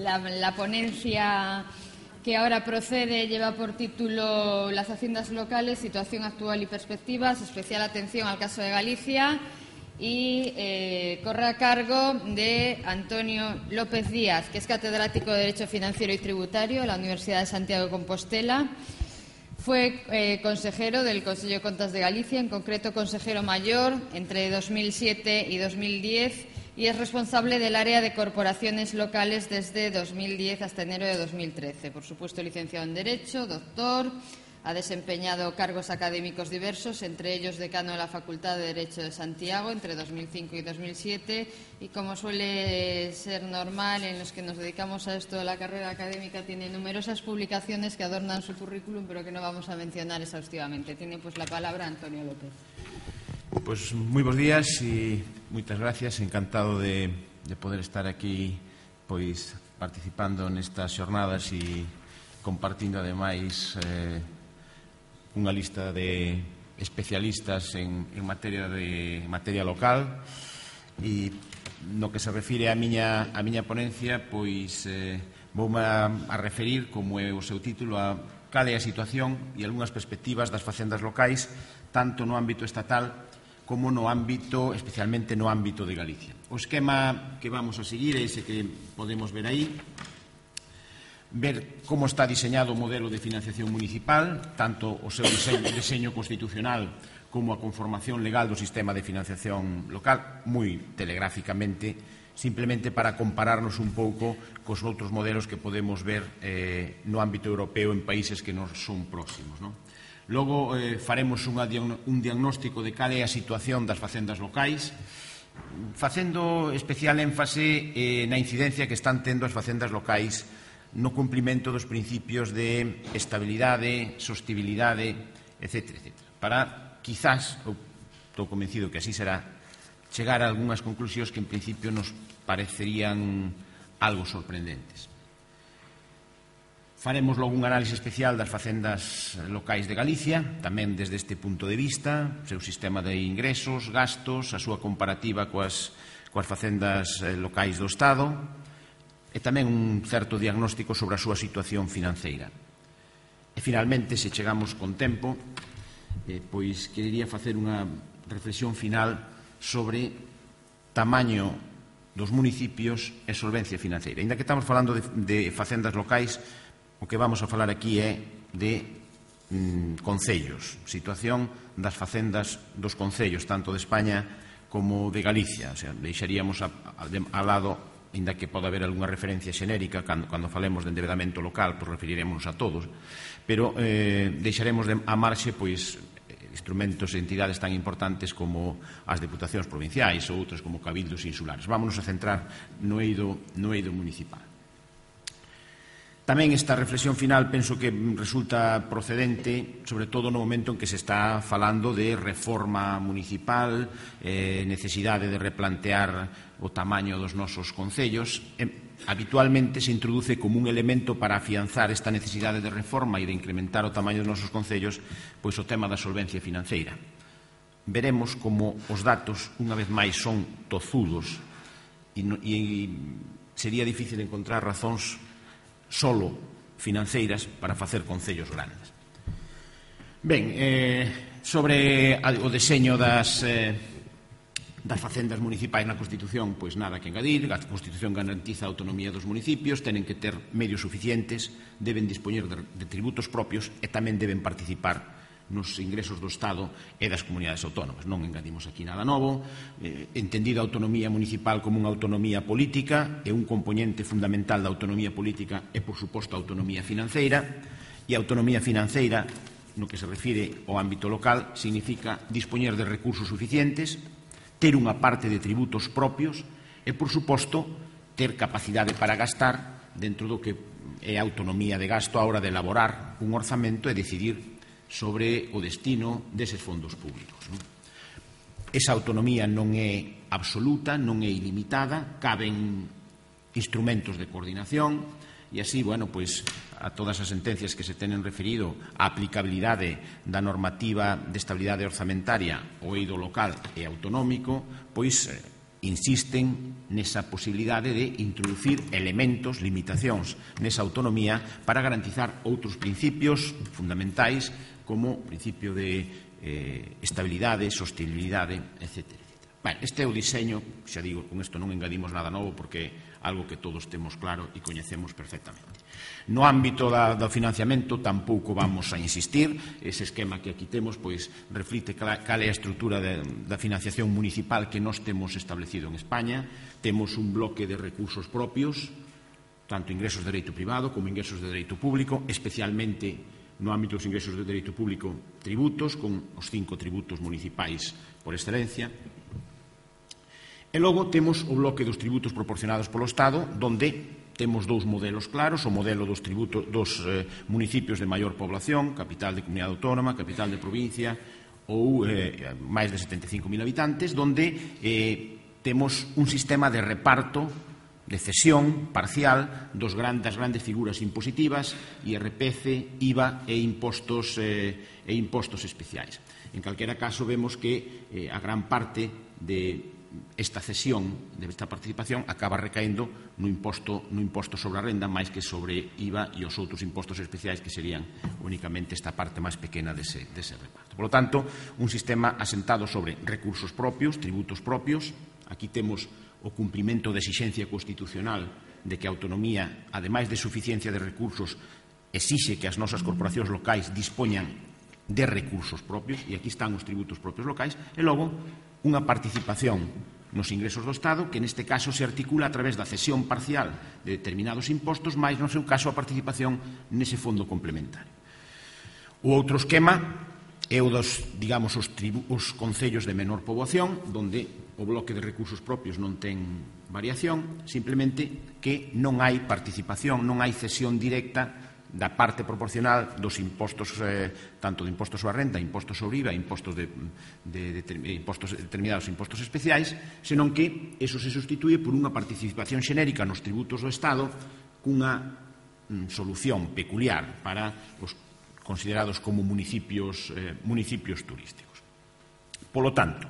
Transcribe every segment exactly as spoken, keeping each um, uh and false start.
la, la ponencia que ahora procede lleva por título Las haciendas locales, situación actual y perspectivas, especial atención al caso de Galicia, y eh, corre a cargo de Antonio López Díaz, que es catedrático de Derecho Financiero y Tributario en la Universidad de Santiago de Compostela. Fue eh, consejero del Consello de Contas de Galicia, en concreto consejero mayor entre dos mil siete y dos mil diez, y es responsable del área de corporaciones locales desde dos mil diez hasta enero de dos mil trece. Por supuesto, licenciado en Derecho, doctor, ha desempeñado cargos académicos diversos, entre ellos decano de la Facultad de Derecho de Santiago entre dos mil cinco y dos mil siete, y como suele ser normal en los que nos dedicamos a esto de la carrera académica, tiene numerosas publicaciones que adornan su currículum, pero que no vamos a mencionar exhaustivamente. Tiene pues la palabra Antonio López. Pois moi bons días e moitas gracias, encantado de, de poder estar aquí pois participando nestas xornadas e compartindo ademais eh, unha lista de especialistas en, en materia de materia local. E no que se refire á miña, a miña ponencia, pois eh, voume a, a referir, como é o seu título, a cal é a situación e algunhas perspectivas das facendas locais, tanto no ámbito estatal como no ámbito, especialmente no ámbito de Galicia. O esquema que vamos a seguir é ese que podemos ver aí, ver como está diseñado o modelo de financiación municipal, tanto o seu diseño, diseño constitucional como a conformación legal do sistema de financiación local, moi telegráficamente, simplemente para compararnos un pouco cos outros modelos que podemos ver eh, no ámbito europeo en países que nos son próximos, non? Logo eh, faremos unha, un diagnóstico de cal é a situación das facendas locais, facendo especial énfase eh, na incidencia que están tendo as facendas locais no cumprimento dos principios de estabilidade, sostibilidade, etcétera, etcétera. Para, quizás, eu estou convencido que así será, chegar a algunhas conclusións que en principio nos parecerían algo sorprendentes. Faremos logo un análise especial das facendas locais de Galicia, tamén desde este punto de vista, o seu sistema de ingresos, gastos, a súa comparativa coas, coas facendas locais do Estado, e tamén un certo diagnóstico sobre a súa situación financeira. E, finalmente, se chegamos con tempo, eh, pois querería facer unha reflexión final sobre tamaño dos municipios e solvencia financeira. Ainda que estamos falando de, de facendas locais, o que vamos a falar aquí é de mm, concellos, situación das facendas dos concellos, tanto de España como de Galicia. O sea, deixaríamos a, a, a lado, ainda que pode haber algunha referencia xenérica, cando, cando falemos de endeudamento local, pois referiremos a todos, pero eh, deixaremos de, a marxe pois instrumentos e entidades tan importantes como as deputacións provinciais ou outros como cabildos insulares. Vámonos a centrar no eido, no eido municipal. Tamén esta reflexión final penso que resulta procedente, sobre todo no momento en que se está falando de reforma municipal, eh, necesidade de replantear o tamaño dos nosos concellos. Eh, habitualmente se introduce como un elemento para afianzar esta necesidade de reforma e de incrementar o tamaño dos nosos concellos, pois o tema da solvencia financeira. Veremos como os datos, unha vez máis, son tozudos e, no, e sería difícil encontrar razóns solo financeiras para facer concellos grandes. Ben, eh, sobre o deseño das, eh, das facendas municipais na Constitución, pois nada que engadir. A Constitución garantiza a autonomía dos municipios, tenen que ter medios suficientes, deben dispoñer de, de tributos propios e tamén deben participar nos ingresos do Estado e das comunidades autónomas. Non engadimos aquí nada novo. Eh, entendida a autonomía municipal como unha autonomía política, e un componente fundamental da autonomía política é, por suposto, a autonomía financeira, e a autonomía financeira, no que se refire ao ámbito local, significa dispoñer de recursos suficientes, ter unha parte de tributos propios e, por suposto, ter capacidade para gastar dentro do que é a autonomía de gasto a hora de elaborar un orzamento e decidir sobre o destino deses fondos públicos. Non? Esa autonomía non é absoluta, non é ilimitada, caben instrumentos de coordinación e así, bueno, pois a todas as sentencias que se tenen referido á aplicabilidade da normativa de estabilidade orzamentaria ao eido local e autonómico, pois insisten nesa posibilidade de introducir elementos, limitacións nesa autonomía para garantizar outros principios fundamentais como o principio de eh, estabilidade, sostenibilidade, etcétera. Ben, este é o diseño, xa digo, con isto non engadimos nada novo porque é algo que todos temos claro e coñecemos perfectamente. No ámbito da, do financiamento tampouco vamos a insistir, ese esquema que aquí temos pois reflite cal, cal é a estrutura de, da financiación municipal que nós temos establecido en España. Temos un bloque de recursos propios, tanto ingresos de dereito privado como ingresos de dereito público, especialmente no ámbito dos ingresos de dereito público tributos, con os cinco tributos municipais por excelencia. E logo temos o bloque dos tributos proporcionados polo Estado, donde temos dous modelos claros, o modelo dos tributos dos eh, municipios de maior población, capital de comunidade autónoma, capital de provincia ou eh, máis de setenta e cinco mil habitantes, donde eh, temos un sistema de reparto, de cesión parcial dos grandes, das grandes figuras impositivas, I R P F, I V A e impostos, eh, e impostos especiais. En calquera caso, vemos que eh, a gran parte de esta cesión, de esta participación, acaba recaendo no imposto, no imposto sobre a renda máis que sobre I V A e os outros impostos especiais que serían únicamente esta parte máis pequena dese, dese reparto. Por lo tanto, un sistema asentado sobre recursos propios, tributos propios. Aquí temos o cumprimento da exixencia constitucional de que a autonomía, ademais de suficiencia de recursos, exixe que as nosas corporacións locais dispoñan de recursos propios, e aquí están os tributos propios locais, e logo unha participación nos ingresos do Estado, que neste caso se articula a través da cesión parcial de determinados impostos, máis no seu caso a participación nese fondo complementario. O outro esquema é o dos, digamos, os, tribu, os concellos de menor poboación, onde o bloque de recursos propios non ten variación, simplemente que non hai participación, non hai cesión directa da parte proporcional dos impostos, eh, tanto de impostos sobre a renta, impostos sobre I V A, impostos, de, de, de, de impostos determinados impostos especiais, senón que eso se sustituye por unha participación xenérica nos tributos do Estado cunha mm, solución peculiar para os considerados como municipios, eh, municipios turísticos. Polo tanto,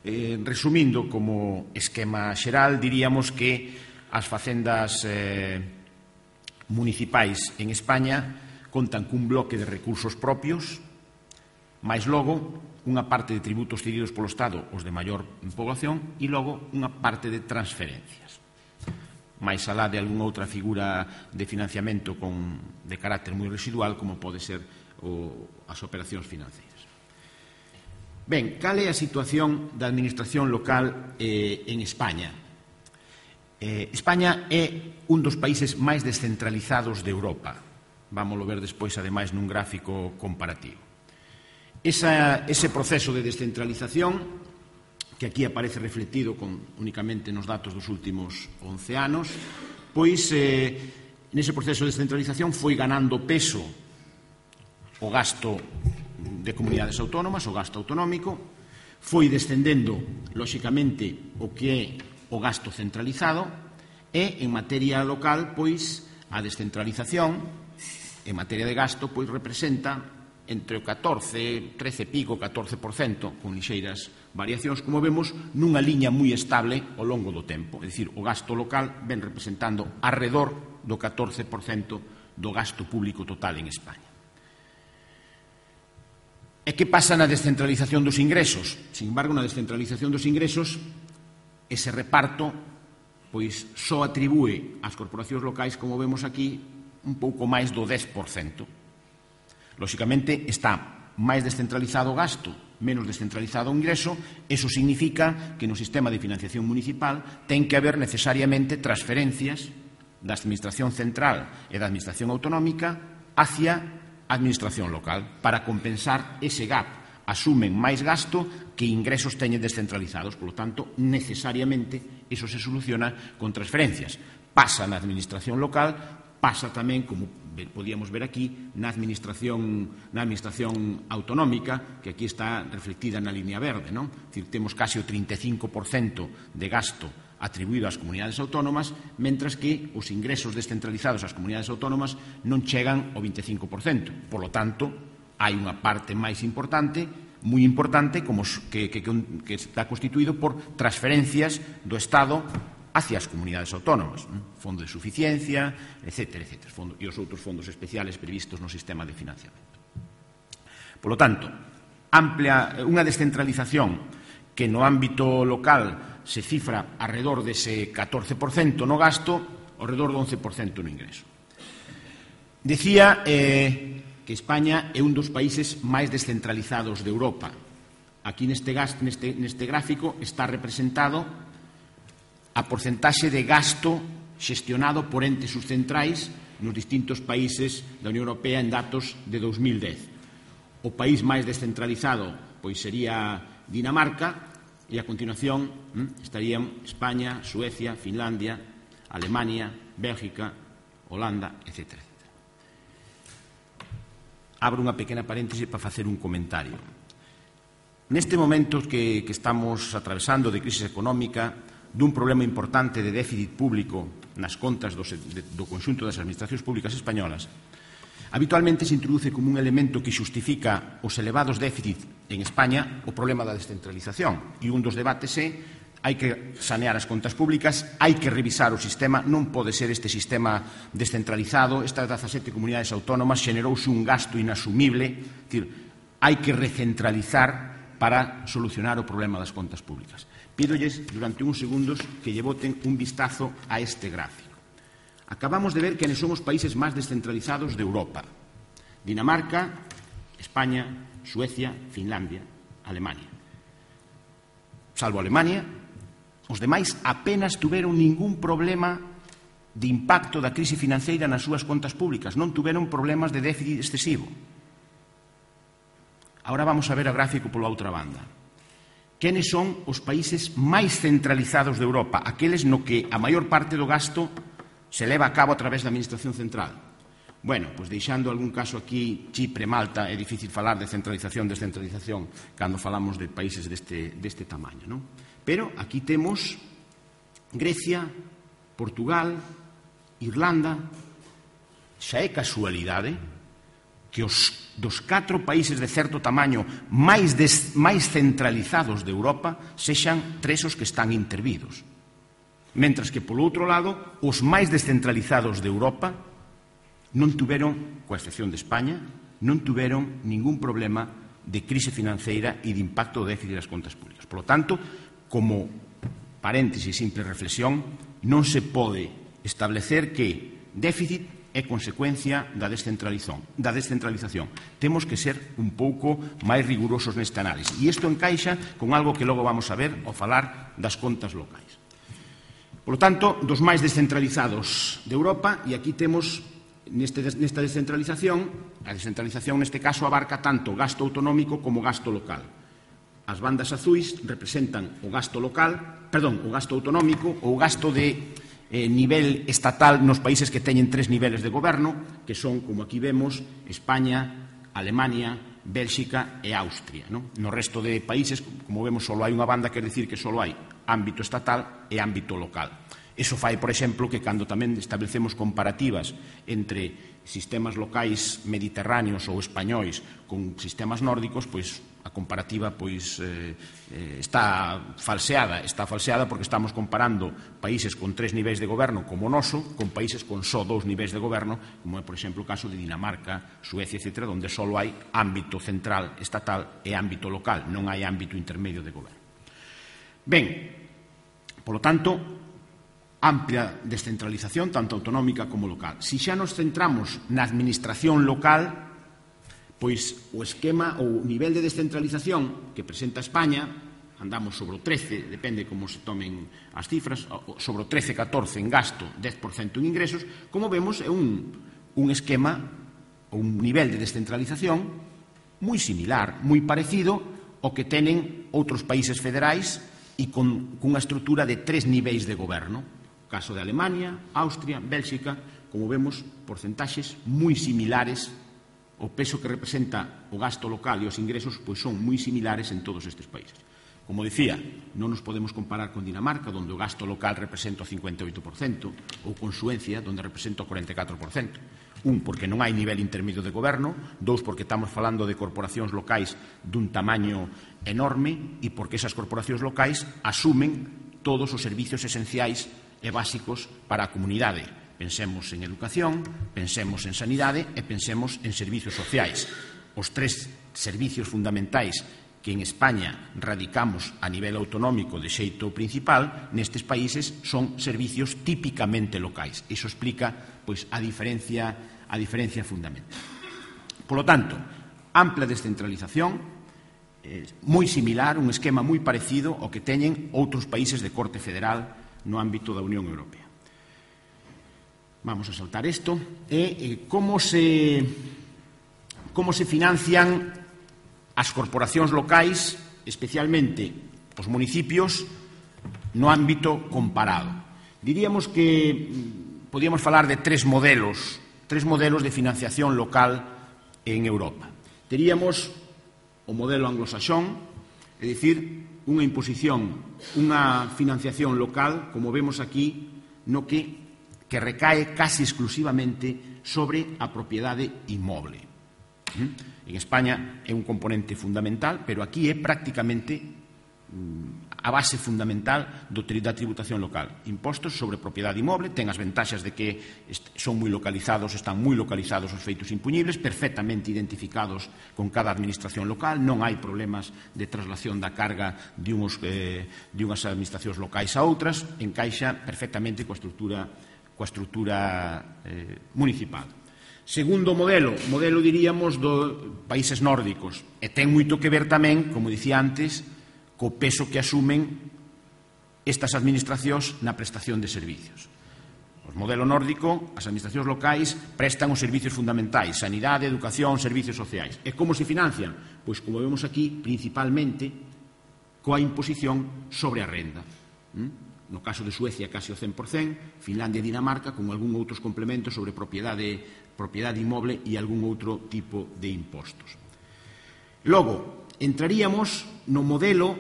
eh, resumindo como esquema xeral, diríamos que as facendas eh, municipais en España contan cun bloque de recursos propios, máis logo unha parte de tributos cedidos polo Estado, os de maior población, e logo unha parte de transferencias. Máis alá de algunha outra figura de financiamento con, de carácter moi residual, como pode ser o, as operacións financeiras. Ben, cal é a situación da administración local eh, en España? Eh, España é un dos países máis descentralizados de Europa. Vámoslo ver despois, ademais, nun gráfico comparativo. Esa, ese proceso de descentralización, que aquí aparece reflectido con, únicamente nos datos dos últimos once anos, pois, eh, nese proceso de descentralización foi ganando peso o gasto de comunidades autónomas, o gasto autonómico, foi descendendo, lóxicamente, o que é o gasto centralizado, e en materia local, pois, a descentralización en materia de gasto, pois, representa entre o catorce, trece pico, catorce por cento, con lixeiras variacións, como vemos, nunha liña moi estable ao longo do tempo. É dicir, o gasto local ven representando arredor do catorce por cento do gasto público total en España. E que pasa na descentralización dos ingresos? Sin embargo, na descentralización dos ingresos, ese reparto pois só atribúe ás corporacións locais, como vemos aquí, un pouco máis do dez por cento. Lóxicamente, está máis descentralizado o gasto, menos descentralizado o ingreso. Eso significa que no sistema de financiación municipal ten que haber necesariamente transferencias da administración central e da administración autonómica hacia a administración local para compensar ese gap. Asumen máis gasto que ingresos teñen descentralizados. Por lo tanto, necesariamente, eso se soluciona con transferencias. Pasa na administración local, pasa tamén, como podíamos ver aquí, na administración, na administración autonómica, que aquí está reflectida na línea verde, non? É dicir, temos case o trinta e cinco por cento de gasto atribuído ás comunidades autónomas, mentras que os ingresos descentralizados ás comunidades autónomas non chegan ao vinte e cinco por cento. Por lo tanto, hai unha parte máis importante, moi importante como que, que, que está constituído por transferencias do Estado hacia as comunidades autónomas, fondo de suficiencia, etcétera, etcétera, fondo, e os outros fondos especiales previstos no sistema de financiamento. Por lo tanto, amplia, unha descentralización que no ámbito local se cifra alrededor dese catorce por cento no gasto, alrededor do once por cento no ingreso. Decía eh, que España é un dos países máis descentralizados de Europa. Aquí neste, gasto, neste, neste gráfico está representado a porcentaxe de gasto xestionado por entes subcentrais nos distintos países da Unión Europea en datos de dos mil dez. O país máis descentralizado pois sería Dinamarca e a continuación hm, estarían España, Suecia, Finlandia, Alemania, Bélgica, Holanda, etcétera. Abro unha pequena paréntese para facer un comentario. Neste momento que, que estamos atravesando de crisis económica, dun problema importante de déficit público nas contas do, de, do conxunto das administracións públicas españolas, habitualmente se introduce como un elemento que xustifica os elevados déficits en España o problema da descentralización. E un dos debates é hai que sanear as contas públicas, hai que revisar o sistema, non pode ser este sistema descentralizado, estas dezasete comunidades autónomas xenerouse un gasto inasumible, é dicir, hai que recentralizar para solucionar o problema das contas públicas. Pídolles durante uns segundos que lle boten un vistazo a este gráfico. Acabamos de ver que son os países máis descentralizados de Europa. Dinamarca, España, Suecia, Finlandia, Alemania. Salvo Alemania, os demais apenas tuveron ningún problema de impacto da crise financeira nas súas contas públicas, non tuveron problemas de déficit excesivo. Agora vamos a ver o gráfico pola outra banda. Quenes son os países máis centralizados de Europa, aqueles no que a maior parte do gasto se leva a cabo a través da Administración Central? Bueno, pois deixando algún caso aquí, Chipre, Malta, é difícil falar de centralización, descentralización, cando falamos de países deste, deste tamaño, non? Pero aquí temos Grecia, Portugal, Irlanda. Xa é casualidade que os dos catro países de certo tamaño máis, des, máis centralizados de Europa sexan tres os que están intervidos. Mentras que, polo outro lado, os máis descentralizados de Europa non tuveron, coa excepción de España, non tuveron ningún problema de crise financeira e de impacto do déficit das contas públicas. Por lo tanto, como paréntesis, simple reflexión, non se pode establecer que déficit é consecuencia da descentralización. Da descentralización. Temos que ser un pouco máis rigurosos neste análise. E isto encaixa con algo que logo vamos a ver ao falar das contas locais. Por lo tanto, dos máis descentralizados de Europa, e aquí temos neste, nesta descentralización, a descentralización neste caso abarca tanto gasto autonómico como gasto local. As bandas azuis representan o gasto local, perdón, o gasto autonómico ou o gasto de eh, nivel estatal nos países que teñen tres niveles de goberno, que son, como aquí vemos, España, Alemania, Bélxica e Austria. No, no resto de países, como vemos, só hai unha banda, quer dicir que só hai ámbito estatal e ámbito local. Eso fai, por exemplo, que cando tamén establecemos comparativas entre sistemas locais mediterráneos ou españois con sistemas nórdicos, pois a comparativa pois eh, está falseada, está falseada porque estamos comparando países con tres niveis de goberno como o noso con países con só dous niveis de goberno, como é, por exemplo, o caso de Dinamarca, Suecia, etcétera, onde só hai ámbito central estatal e ámbito local, non hai ámbito intermedio de goberno. Ben, polo tanto, amplia descentralización, tanto autonómica como local. Si xa nos centramos na administración local, pois o esquema ou o nivel de descentralización que presenta España, andamos sobre o trece, depende como se tomen as cifras, sobre o trece, catorce en gasto, dez por cento en ingresos, como vemos é un, un esquema ou un nivel de descentralización moi similar, moi parecido ao que tenen outros países federais e con cunha estrutura de tres niveis de goberno. O caso de Alemania, Austria, Bélxica, como vemos, porcentaxes moi similares. O peso que representa o gasto local e os ingresos pois son moi similares en todos estes países. Como dicía, non nos podemos comparar con Dinamarca, onde o gasto local representa o cincuenta e oito por cento, ou con Suecia, onde representa o cuarenta e catro por cento. Un, porque non hai nivel intermedio de goberno. Dous, porque estamos falando de corporacións locais dun tamaño enorme e porque esas corporacións locais asumen todos os servicios esenciais e básicos para a comunidade. Pensemos en educación, pensemos en sanidade e pensemos en servicios sociais. Os tres servicios fundamentais que en España radicamos a nivel autonómico de xeito principal, nestes países son servicios típicamente locais. Iso explica pois, a diferencia, a diferencia fundamental. Por lo tanto, ampla descentralización, eh, moi similar, un esquema moi parecido ao que teñen outros países de corte federal no ámbito da Unión Europea. Vamos a saltar isto. E eh, como se, como se financian as corporacións locais, especialmente os municipios, no ámbito comparado. Diríamos que podíamos falar de tres modelos, tres modelos de financiación local en Europa. Teríamos o modelo anglosaxón, é dicir, unha imposición, unha financiación local, como vemos aquí, no que, que recae casi exclusivamente sobre a propiedade inmoble. En España é un componente fundamental, pero aquí é prácticamente a base fundamental da tributación local. Impostos sobre propiedade inmoble, ten as ventaxas de que son moi localizados, están moi localizados os feitos impuñibles, perfectamente identificados con cada administración local, non hai problemas de traslación da carga de, unos, eh, de unhas administracións locais a outras, encaixa perfectamente coa estrutura, coa estrutura eh, municipal. Segundo modelo, modelo diríamos dos países nórdicos, e ten moito que ver tamén, como dicía antes, co peso que asumen estas administracións na prestación de servicios. O modelo nórdico, as administracións locais prestan os servicios fundamentais, sanidade, educación, servicios sociais. E como se financian? Pois, como vemos aquí, principalmente coa imposición sobre a renda. No caso de Suecia, casi o cen por cento, Finlandia e Dinamarca, con algún outros complementos sobre propiedade propiedade inmoble e algún outro tipo de impostos. Logo, entraríamos no modelo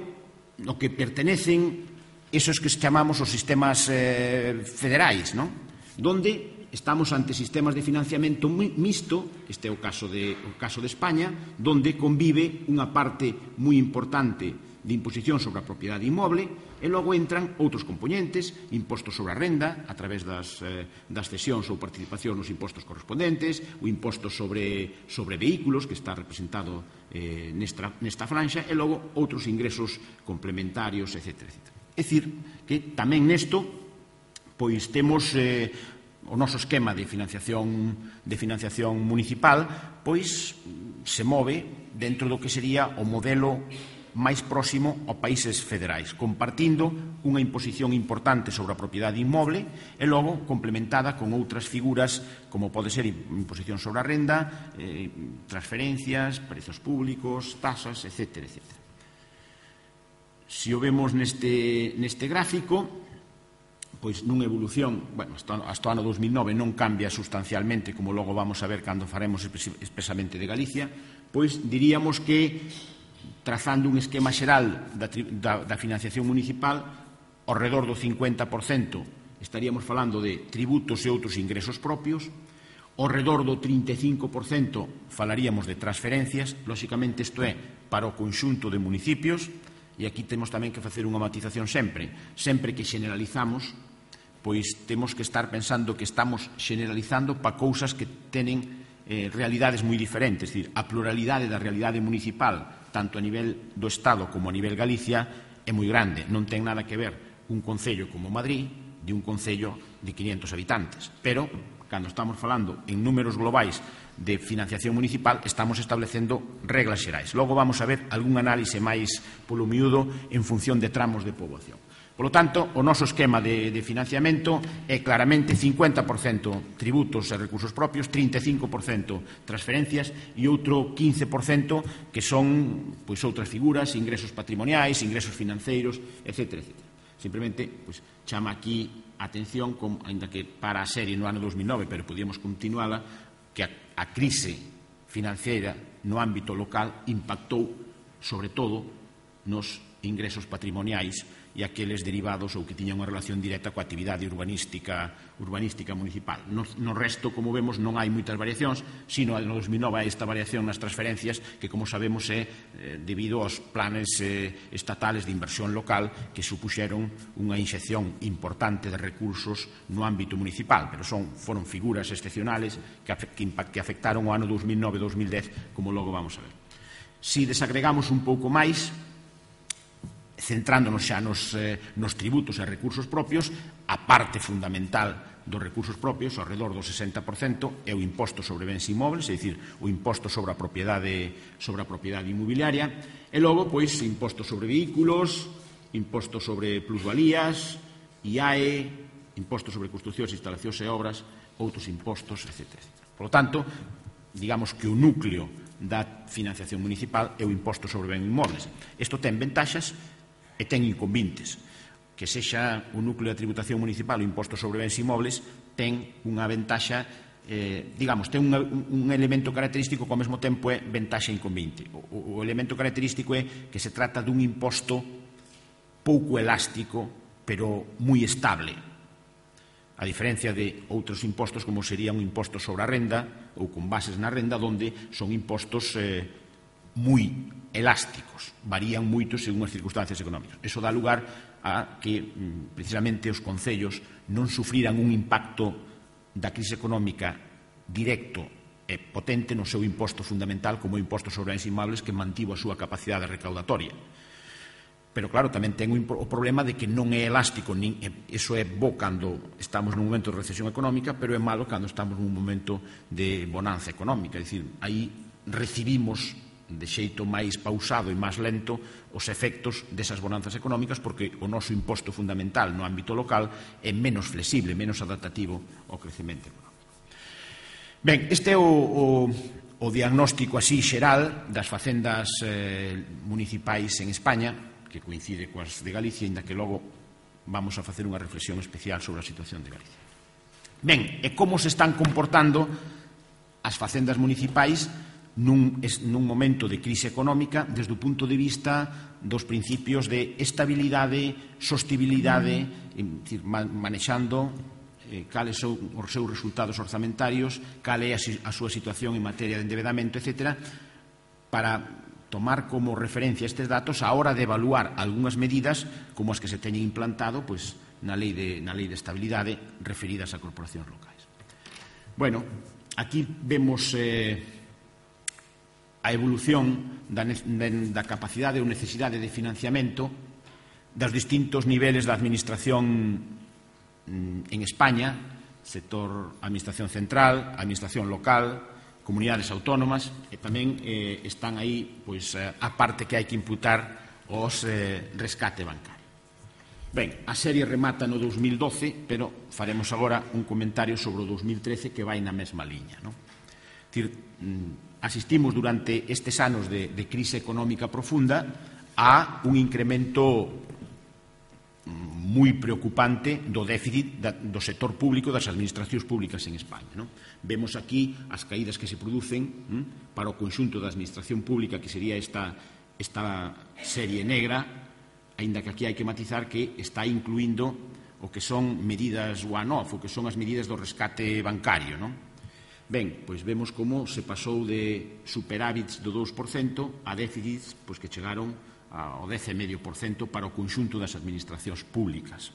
no que pertenecen esos que chamamos os sistemas eh, federais, non? Donde estamos ante sistemas de financiamento mixto, este é o caso de, o caso de España, donde convive unha parte moi importante de imposición sobre a propiedade inmoble e logo entran outros componentes, impostos sobre a renda a través das, eh, das cesións ou participación nos impostos correspondentes, o imposto sobre, sobre vehículos que está representado eh, nesta, nesta franxa e logo outros ingresos complementarios, etcétera, etcétera. É dicir, que tamén nesto pois temos eh, o noso esquema de financiación, de financiación municipal pois se move dentro do que sería o modelo máis próximo aos países federais, compartindo unha imposición importante sobre a propiedade inmoble e logo complementada con outras figuras como pode ser imposición sobre a renda, eh, transferencias, prezos públicos, tasas, etcétera, etcétera. Se o vemos neste, neste gráfico, pois nunha evolución, bueno, hasta, hasta o ano dos mil nove non cambia sustancialmente, como logo vamos a ver cando faremos expresamente de Galicia, pois diríamos que trazando un esquema xeral da, da, da financiación municipal, ao redor do cincuenta por cento estaríamos falando de tributos e outros ingresos propios, ao redor do trinta e cinco por cento falaríamos de transferencias, lóxicamente isto é para o conxunto de municipios, e aquí temos tamén que facer unha matización sempre, sempre que generalizamos, pois temos que estar pensando que estamos generalizando para cousas que tenen eh, realidades moi diferentes, é dicir, a pluralidade da realidade municipal tanto a nivel do Estado como a nivel Galicia, é moi grande. Non ten nada que ver un concello como Madrid de un concello de quinhentos habitantes. Pero, cando estamos falando en números globais de financiación municipal, estamos establecendo reglas xerais. Logo vamos a ver algún análise máis polo miúdo en función de tramos de poboación. Por lo tanto, o noso esquema de, de financiamento é claramente cincuenta por cento tributos e recursos propios, trinta e cinco por cento transferencias e outro quince por cento que son pois, outras figuras, ingresos patrimoniais, ingresos financeiros, etcétera, etcétera. Simplemente pois, chama aquí a atención, com, ainda que para a serie no ano dos mil nove, pero podíamos continuala, que a, a crise financiera no ámbito local impactou, sobre todo, nos ingresos patrimoniais e aqueles derivados ou que tiñan unha relación directa coa actividade urbanística, urbanística municipal. No, no resto, como vemos, non hai moitas variacións, sino no dos mil nove hai esta variación nas transferencias que, como sabemos, é eh, debido aos planes eh, estatales de inversión local que supuxeron unha inxección importante de recursos no ámbito municipal, pero son, foron figuras excepcionales que, que, que afectaron o ano dos mil nove e dos mil dez, como logo vamos a ver. Si desagregamos un pouco máis, centrándonos xa nos, eh, nos tributos e recursos propios, a parte fundamental dos recursos propios, ao redor do sesenta por cento, é o imposto sobre bens inmobles, é dicir, o imposto sobre a propiedade, sobre a propiedade inmobiliaria, e logo, pois, imposto sobre vehículos, imposto sobre plusvalías, I A E, imposto sobre construcións, instalacións e obras, outros impostos, etcétera, etcétera. Por lo tanto, digamos que o núcleo da financiación municipal é o imposto sobre bens inmobles. Isto ten ventaxas e ten inconvenientes. Que sexa o núcleo de tributación municipal o imposto sobre bens inmobles ten unha ventaxa, eh, digamos, ten un, un elemento característico que ao mesmo tempo é ventaxa e inconveniente. O, o elemento característico é que se trata dun imposto pouco elástico, pero moi estable. A diferencia de outros impostos como sería un imposto sobre a renda ou con bases na renda, onde son impostos eh, moi elásticos, varían moito según as circunstancias económicas. Eso dá lugar a que, precisamente, os concellos non sufriran un impacto da crise económica directo e potente no seu imposto fundamental como o imposto sobre bens inmobles, que mantivo a súa capacidade recaudatoria. Pero, claro, tamén ten o problema de que non é elástico, nin, eso é bo cando estamos nun momento de recesión económica, pero é malo cando estamos nun momento de bonanza económica. É dicir, aí recibimos de xeito máis pausado e máis lento os efectos desas bonanzas económicas, porque o noso imposto fundamental no ámbito local é menos flexible, menos adaptativo ao crecemento económico. Ben, este é o, o, o diagnóstico así xeral das facendas eh, municipais en España, que coincide coas de Galicia, inda que logo vamos a facer unha reflexión especial sobre a situación de Galicia. Ben, e como se están comportando as facendas municipais nun, nun momento de crise económica desde o punto de vista dos principios de estabilidade, sostibilidade, decir, manexando eh, cales son os seus resultados orzamentarios, cal é a, a súa situación en materia de endebedamento, etcétera, para tomar como referencia estes datos a hora de evaluar algunhas medidas como as que se teñen implantado pois, na, lei de, na lei de estabilidade referidas a corporacións locais. Bueno, aquí vemos eh, a evolución da, da capacidade ou necesidade de financiamento dos distintos niveles da administración en España, sector administración central, administración local, comunidades autónomas, e tamén eh, están aí pois, a parte que hai que imputar os eh, rescate bancario. Ben, a serie remata no dos mil doce, pero faremos agora un comentario sobre o dos mil trece que vai na mesma liña. Non? Dicir, asistimos durante estes anos de, de crise económica profunda a un incremento moi preocupante do déficit da, do sector público, das administracións públicas en España. Non? Vemos aquí as caídas que se producen hm, para o conxunto da administración pública, que sería esta, esta serie negra, aínda que aquí hai que matizar que está incluindo o que son medidas one-off, o que son as medidas do rescate bancario. Non? Ben, pois vemos como se pasou de superávits do dous por cento a déficits pois, que chegaron ao dez vírgula cinco por cento para o conxunto das administracións públicas,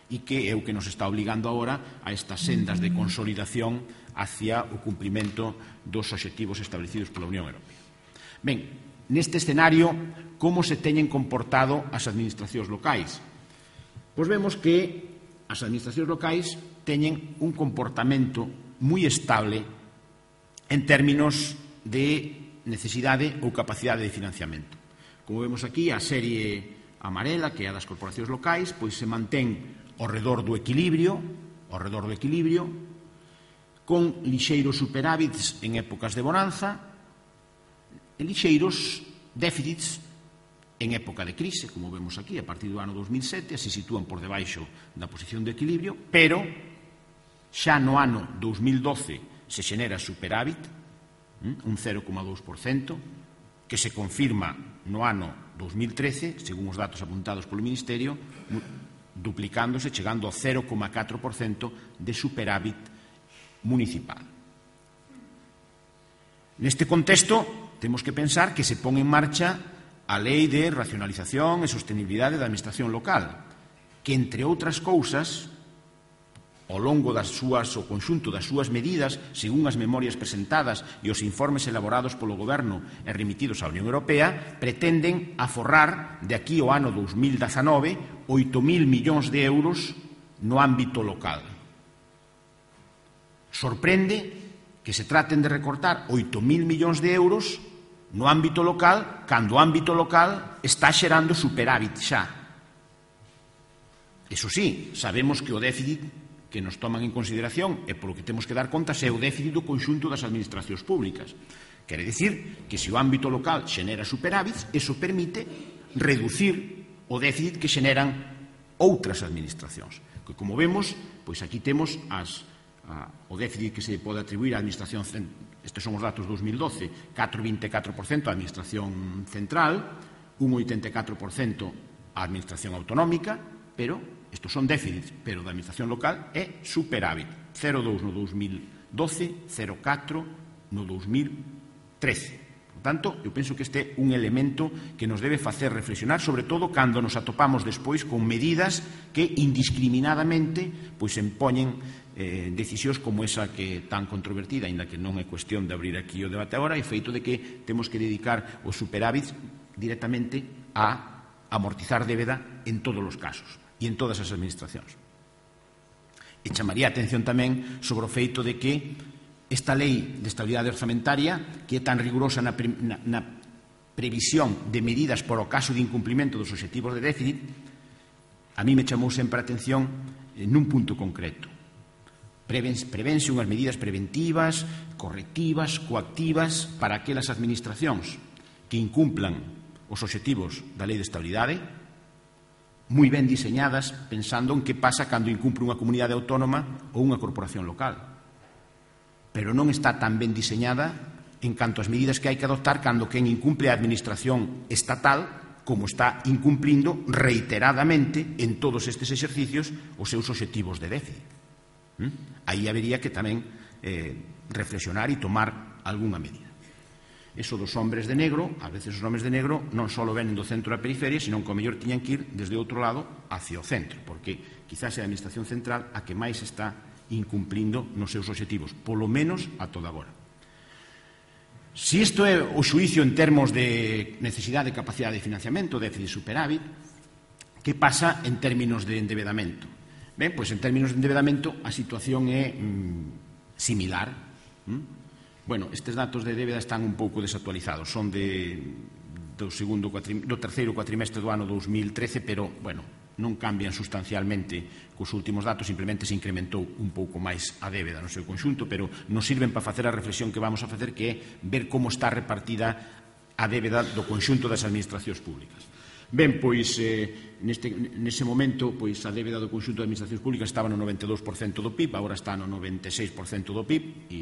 e que é o que nos está obligando agora a estas sendas de consolidación hacia o cumprimento dos obxectivos establecidos pola Unión Europea. Ben, neste escenario, como se teñen comportado as administracións locais? Pois vemos que as administracións locais teñen un comportamento moi estable en términos de necesidade ou capacidade de financiamento. Como vemos aquí, a serie amarela, que é a das corporacións locais, pois se mantén ao redor do equilibrio, ao redor do equilibrio, con lixeiros superávits en épocas de bonanza e lixeiros déficits en época de crise, como vemos aquí, a partir do ano dos mil sete, se sitúan por debaixo da posición de equilibrio, pero xa no ano dos mil doce se xenera superávit, un cero coma dous por cento, que se confirma no ano dos mil trece, según os datos apuntados polo Ministerio, duplicándose, chegando ao cero coma catro por cento de superávit municipal. Neste contexto, temos que pensar que se pon en marcha a Lei de Racionalización e Sostenibilidade da Administración Local, que, entre outras cousas, ao longo das súas, o conxunto das súas medidas, según as memorias presentadas e os informes elaborados polo Goberno e remitidos á Unión Europea, pretenden aforrar de aquí ao ano dos mil dezanove oito mil millóns de euros no ámbito local. Sorprende que se traten de recortar oito mil millóns de euros no ámbito local cando o ámbito local está xerando superávit xa. Eso sí, sabemos que o déficit que nos toman en consideración e polo que temos que dar contas é o déficit do conxunto das administracións públicas. Quere dicir que se o ámbito local xenera superávits, eso permite reducir o déficit que xeneran outras administracións. Que, como vemos, pois aquí temos as, a, o déficit que se pode atribuir á administración, estes son os datos dos mil doce, catro vírgula vinte e catro por cento á administración central, un oitenta e catro por cento á administración autonómica, pero estos son déficits, pero da administración local é superávit. cero coma dous no dos mil doce, cero coma catro no dos mil trece. Por tanto, eu penso que este é un elemento que nos debe facer reflexionar, sobre todo cando nos atopamos despois con medidas que indiscriminadamente pois empoñen eh, decisións como esa que é tan controvertida, aínda que non é cuestión de abrir aquí o debate agora, é feito de que temos que dedicar os superávits directamente a amortizar débeda en todos os casos e en todas as administracións. E chamaría a atención tamén sobre o feito de que esta lei de estabilidade orzamentaria, que é tan rigurosa na, pre, na, na previsión de medidas por o caso de incumplimento dos obxectivos de déficit, a mí me chamou sempre a atención nun punto concreto. Prevense unhas medidas preventivas, correctivas, coactivas para aquelas administracións que incumplan os obxectivos da lei de estabilidade, moi ben diseñadas, pensando en que pasa cando incumpre unha comunidade autónoma ou unha corporación local. Pero non está tan ben diseñada en canto ás medidas que hai que adoptar cando quen incumple a administración estatal, como está incumplindo reiteradamente en todos estes exercicios os seus obxectivos de déficit. ¿Mm? Aí habería que tamén eh, reflexionar e tomar algunha medida. Eso dos hombres de negro, a veces os hombres de negro non só venen do centro da periferia, senón que ao mellor tiñan que ir desde outro lado hacia o centro, porque quizás é a administración central a que máis está incumplindo nos seus obxectivos, polo menos a toda agora. Si isto é o xuicio en termos de necesidade de capacidade de financiamento, déficit superávit, que pasa en términos de endebedamento? Ben, pois en términos de endebedamento a situación é mm, similar. ¿Mm? Bueno, estes datos de débeda están un pouco desactualizados, son de, do, segundo, do terceiro cuatrimestre do ano dos mil trece, pero, bueno, non cambian sustancialmente cos últimos datos, simplemente se incrementou un pouco máis a débeda no seu conxunto, pero nos sirven para facer a reflexión que vamos a facer, que é ver como está repartida a débeda do conxunto das administracións públicas. Ben, pois, eh, neste, nese momento, pois, a débeda do conxunto de administracións públicas estaba no noventa e dous por cento do P I B, agora está no noventa e seis por cento do P I B, e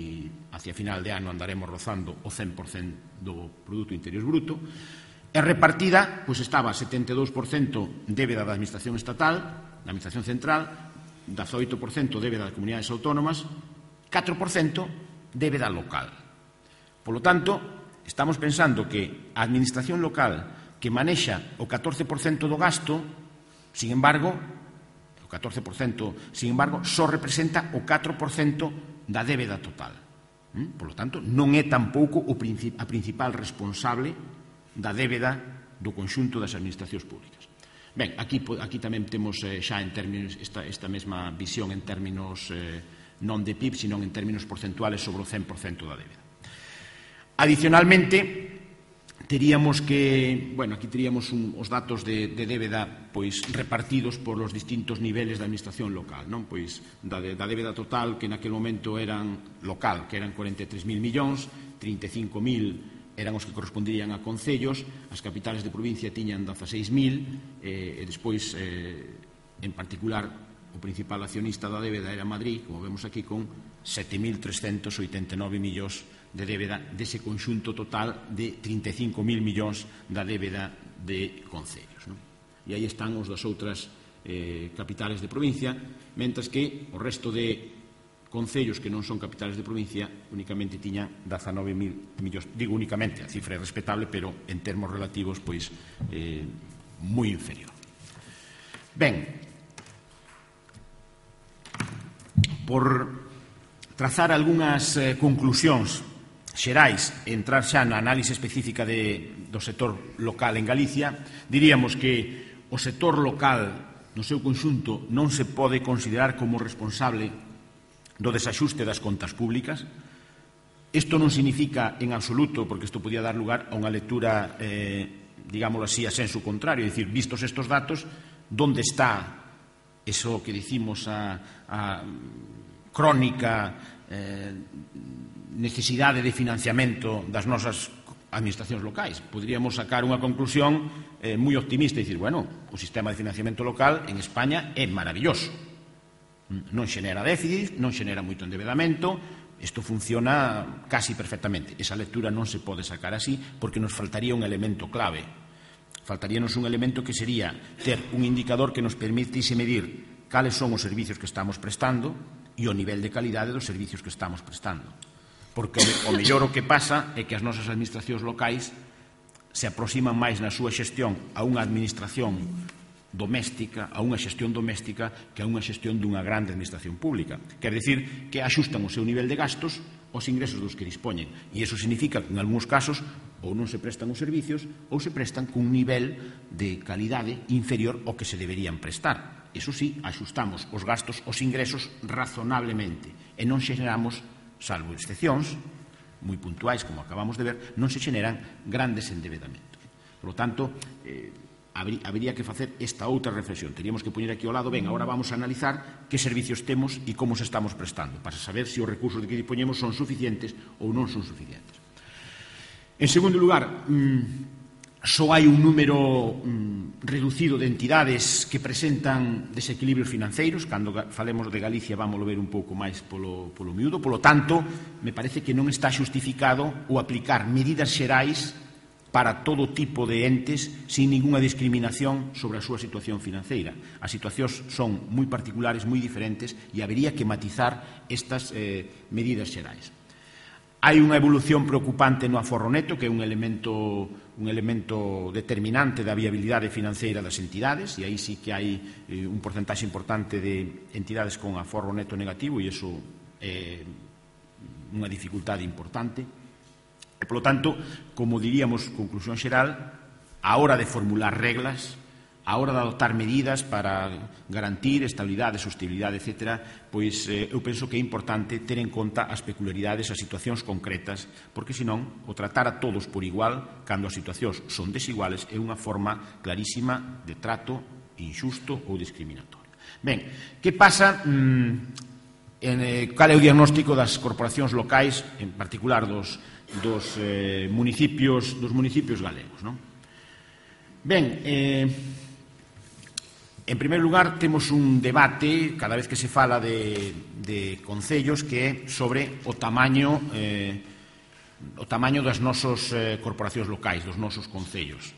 hacia final de ano andaremos rozando o cen por cento do Produto Interior Bruto. E repartida, pois, estaba setenta e dous por cento débeda da administración estatal, da administración central, dezaoito por cento débeda das comunidades autónomas, catro por cento débeda local. Por lo tanto, estamos pensando que a administración local que manexa o catorce por cento do gasto, sin embargo, o catorce por cento, sin embargo, só representa o catro por cento da débeda total. Por lo tanto, non é tampouco a principal responsable da débeda do conxunto das administracións públicas. Ben, aquí, aquí tamén temos eh, xa en términos, esta, esta mesma visión en términos eh, non de P I B, sino en términos porcentuales sobre o cen por cento da débeda. Adicionalmente, teríamos que, bueno, aquí teríamos un, os datos de, de débeda pois repartidos por os distintos niveles da administración local, non? Pois da, da débeda total que naquele momento eran local, que eran cuarenta e tres mil millóns, trinta e cinco mil eran os que corresponderían a concellos, as capitales de provincia tiñan dezaseis mil, eh, e despois, eh, en particular, o principal accionista da débeda era Madrid, como vemos aquí, con sete mil trescentos oitenta e nove millóns de débeda dese conxunto total de trinta e cinco mil millóns da débeda de concellos. Non? E aí están os das outras eh, capitales de provincia, mentras que o resto de concellos que non son capitales de provincia únicamente tiñan dezanove mil millóns. Digo únicamente, a cifra é respetable, pero en termos relativos, pois, eh, moi inferior. Ben, por trazar algunhas eh, conclusións xerais e entrar xa na análise específica de, do sector local en Galicia, diríamos que o sector local no seu conxunto non se pode considerar como responsable do desaxuste das contas públicas. Isto non significa en absoluto, porque isto podía dar lugar a unha lectura, eh, digámoslo así, a senso contrario, é dicir, vistos estes datos, onde está eso que dicimos a, a crónica eh, necesidade de financiamento das nosas administracións locais. Poderíamos sacar unha conclusión eh, moi optimista e dicir, bueno, o sistema de financiamento local en España é maravilloso. Non xenera déficit, non xenera moito endebedamento, isto funciona casi perfectamente. Esa lectura non se pode sacar así porque nos faltaría un elemento clave. Faltaríanos un elemento que sería ter un indicador que nos permitise medir cales son os servicios que estamos prestando e o nivel de calidade dos servicios que estamos prestando. Porque o mellor o que pasa é que as nosas administracións locais se aproximan máis na súa xestión a unha administración doméstica, a unha xestión doméstica que a unha xestión dunha grande administración pública. Quer dicir que axustan o seu nivel de gastos aos ingresos dos que dispoñen. E iso significa que en algúns casos ou non se prestan os servicios ou se prestan cun nivel de calidade inferior ao que se deberían prestar. Iso sí, axustamos os gastos aos ingresos razonablemente e non xeneramos, salvo excepcións moi puntuais, como acabamos de ver, non se xeneran grandes endebedamentos. Por lo tanto, eh, habería que facer esta outra reflexión. Teríamos que poñer aquí ao lado, ben, agora vamos a analizar que servicios temos e como se estamos prestando, para saber se os recursos de que dispoñemos son suficientes ou non son suficientes. En segundo lugar, mmm, só hai un número mmm, reducido de entidades que presentan desequilibrios financeiros. Cando falemos de Galicia vamos a ver un pouco máis polo, polo miúdo. Polo tanto, me parece que non está xustificado o aplicar medidas xerais para todo tipo de entes sin ninguna discriminación sobre a súa situación financeira. As situacións son moi particulares, moi diferentes, e habería que matizar estas eh, medidas xerais. Hai unha evolución preocupante no aforro neto, que é un elemento, un elemento determinante da viabilidade financeira das entidades, e aí sí que hai eh, un porcentaxe importante de entidades con aforro neto negativo, e iso é unha dificultade importante. E, polo tanto, como diríamos, conclusión xeral, a hora de formular reglas, a hora de adoptar medidas para garantir estabilidade, sostenibilidade, etcétera, pois eh, eu penso que é importante ter en conta as peculiaridades, as situacións concretas, porque senón o tratar a todos por igual, cando as situacións son desiguales, é unha forma clarísima de trato injusto ou discriminatorio. Ben, que pasa? Mmm, en, eh, cal é o diagnóstico das corporacións locais, en particular dos dos eh, municipios dos municipios galegos, non? Ben, eh, en primeiro lugar temos un debate cada vez que se fala de, de concellos que é sobre o tamaño eh, o tamaño das nosos eh, corporacións locais, dos nosos concellos.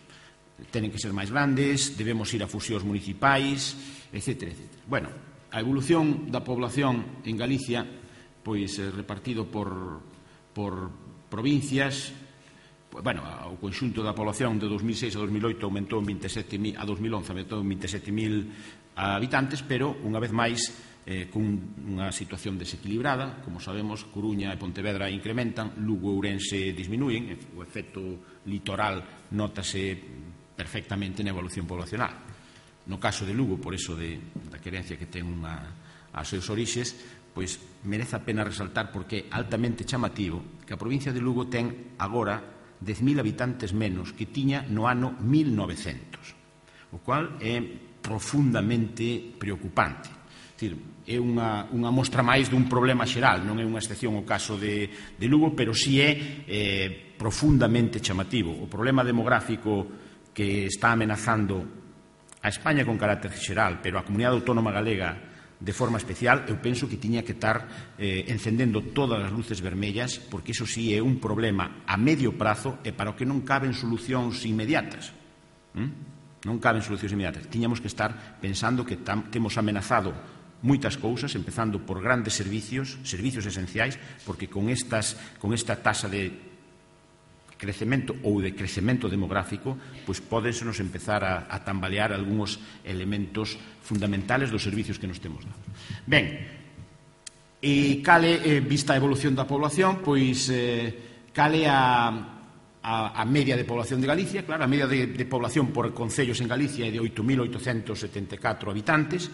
Tenen que ser máis grandes, debemos ir a fusións municipais, etcétera, etcétera. Bueno, a evolución da población en Galicia, pois eh, repartido por por provincias, bueno, o conxunto da población de dos mil seis a dos mil oito aumentou en veintisiete mil, a dos mil once aumentou en veintisiete mil habitantes, pero, unha vez máis, eh, con unha situación desequilibrada. Como sabemos, Coruña e Pontevedra incrementan, Lugo e Ourense disminúen, o efecto litoral nótase perfectamente na evolución poblacional. No caso de Lugo, por eso de, da querencia que ten unha, as seus orixes, pois merece a pena resaltar porque é altamente chamativo que a provincia de Lugo ten agora dez mil habitantes menos que tiña no ano mil novecentos, o cual é profundamente preocupante. É dicir, é unha, unha mostra máis dun problema xeral, non é unha excepción o caso de, de Lugo, pero si é eh, profundamente chamativo. O problema demográfico que está amenazando a España con carácter xeral, pero a Comunidade Autónoma Galega de forma especial, eu penso que tiña que estar eh, encendendo todas as luces vermellas, porque iso sí é un problema a medio prazo e para o que non caben solucións inmediatas. ¿Mm? Non caben solucións inmediatas. Tiñamos que estar pensando que tam, temos amenazado moitas cousas, empezando por grandes servicios, servicios esenciais, porque con, estas, con esta tasa de crecemento ou de crecemento demográfico, pois pódensenos empezar a, a tambalear algúns elementos fundamentales dos servicios que nos temos dado. Ben, e cale, eh, vista a evolución da población, pois eh, cale a, a, a media de población de Galicia. Claro, a media de, de población por concellos en Galicia é de oito mil oitocentos setenta e catro habitantes.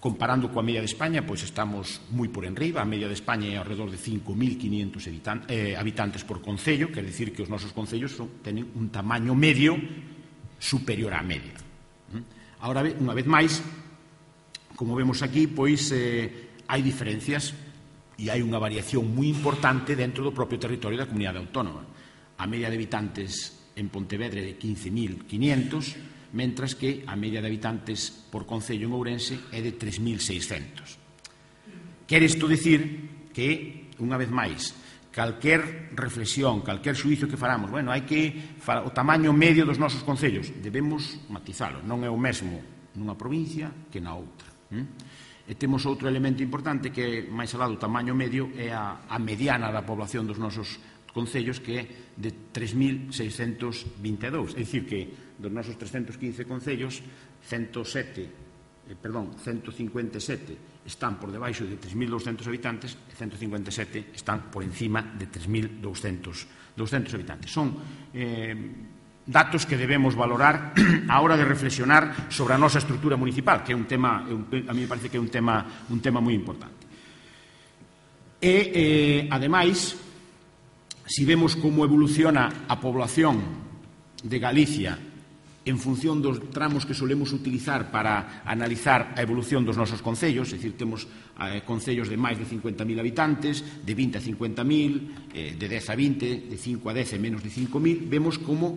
Comparando coa media de España, pois estamos moi por enriba. A media de España é alrededor de cinco mil quinientos habitantes, eh, habitantes por concello, quer dicir que os nosos concellos son, tenen un tamaño medio superior á media. Ahora, unha vez máis, como vemos aquí, pois eh, hai diferencias e hai unha variación moi importante dentro do propio territorio da comunidade autónoma. A media de habitantes en Pontevedra é de quince mil quinientos, mentras que a media de habitantes por concello en Ourense é de tres mil seiscentos. Quer isto dicir que, unha vez máis, calquer reflexión, calquer xuizo que faramos, bueno, hai que o tamaño medio dos nosos concellos, debemos matizalo, non é o mesmo nunha provincia que na outra. E temos outro elemento importante que, máis alá do tamaño medio, é a, a mediana da población dos nosos concellos, que é de tres mil seiscentos vinte e dous. É dicir, que dos nosos trescentos quince concellos, ciento sete, eh, perdón, ciento cincuenta e sete están por debaixo de tres mil douscentos habitantes e ciento cincuenta e sete están por encima de tres mil douscentos habitantes. Son eh, datos que debemos valorar a hora de reflexionar sobre a nosa estrutura municipal, que é un tema, a mí me parece que é un tema, un tema moi importante. E, eh, ademais, si vemos como evoluciona a población de Galicia en función dos tramos que solemos utilizar para analizar a evolución dos nosos concellos, é dicir, temos eh, concellos de máis de cincuenta mil habitantes, de vinte a cincuenta mil, eh, de dez a vinte, de cinco a dez e menos de cinco mil, vemos como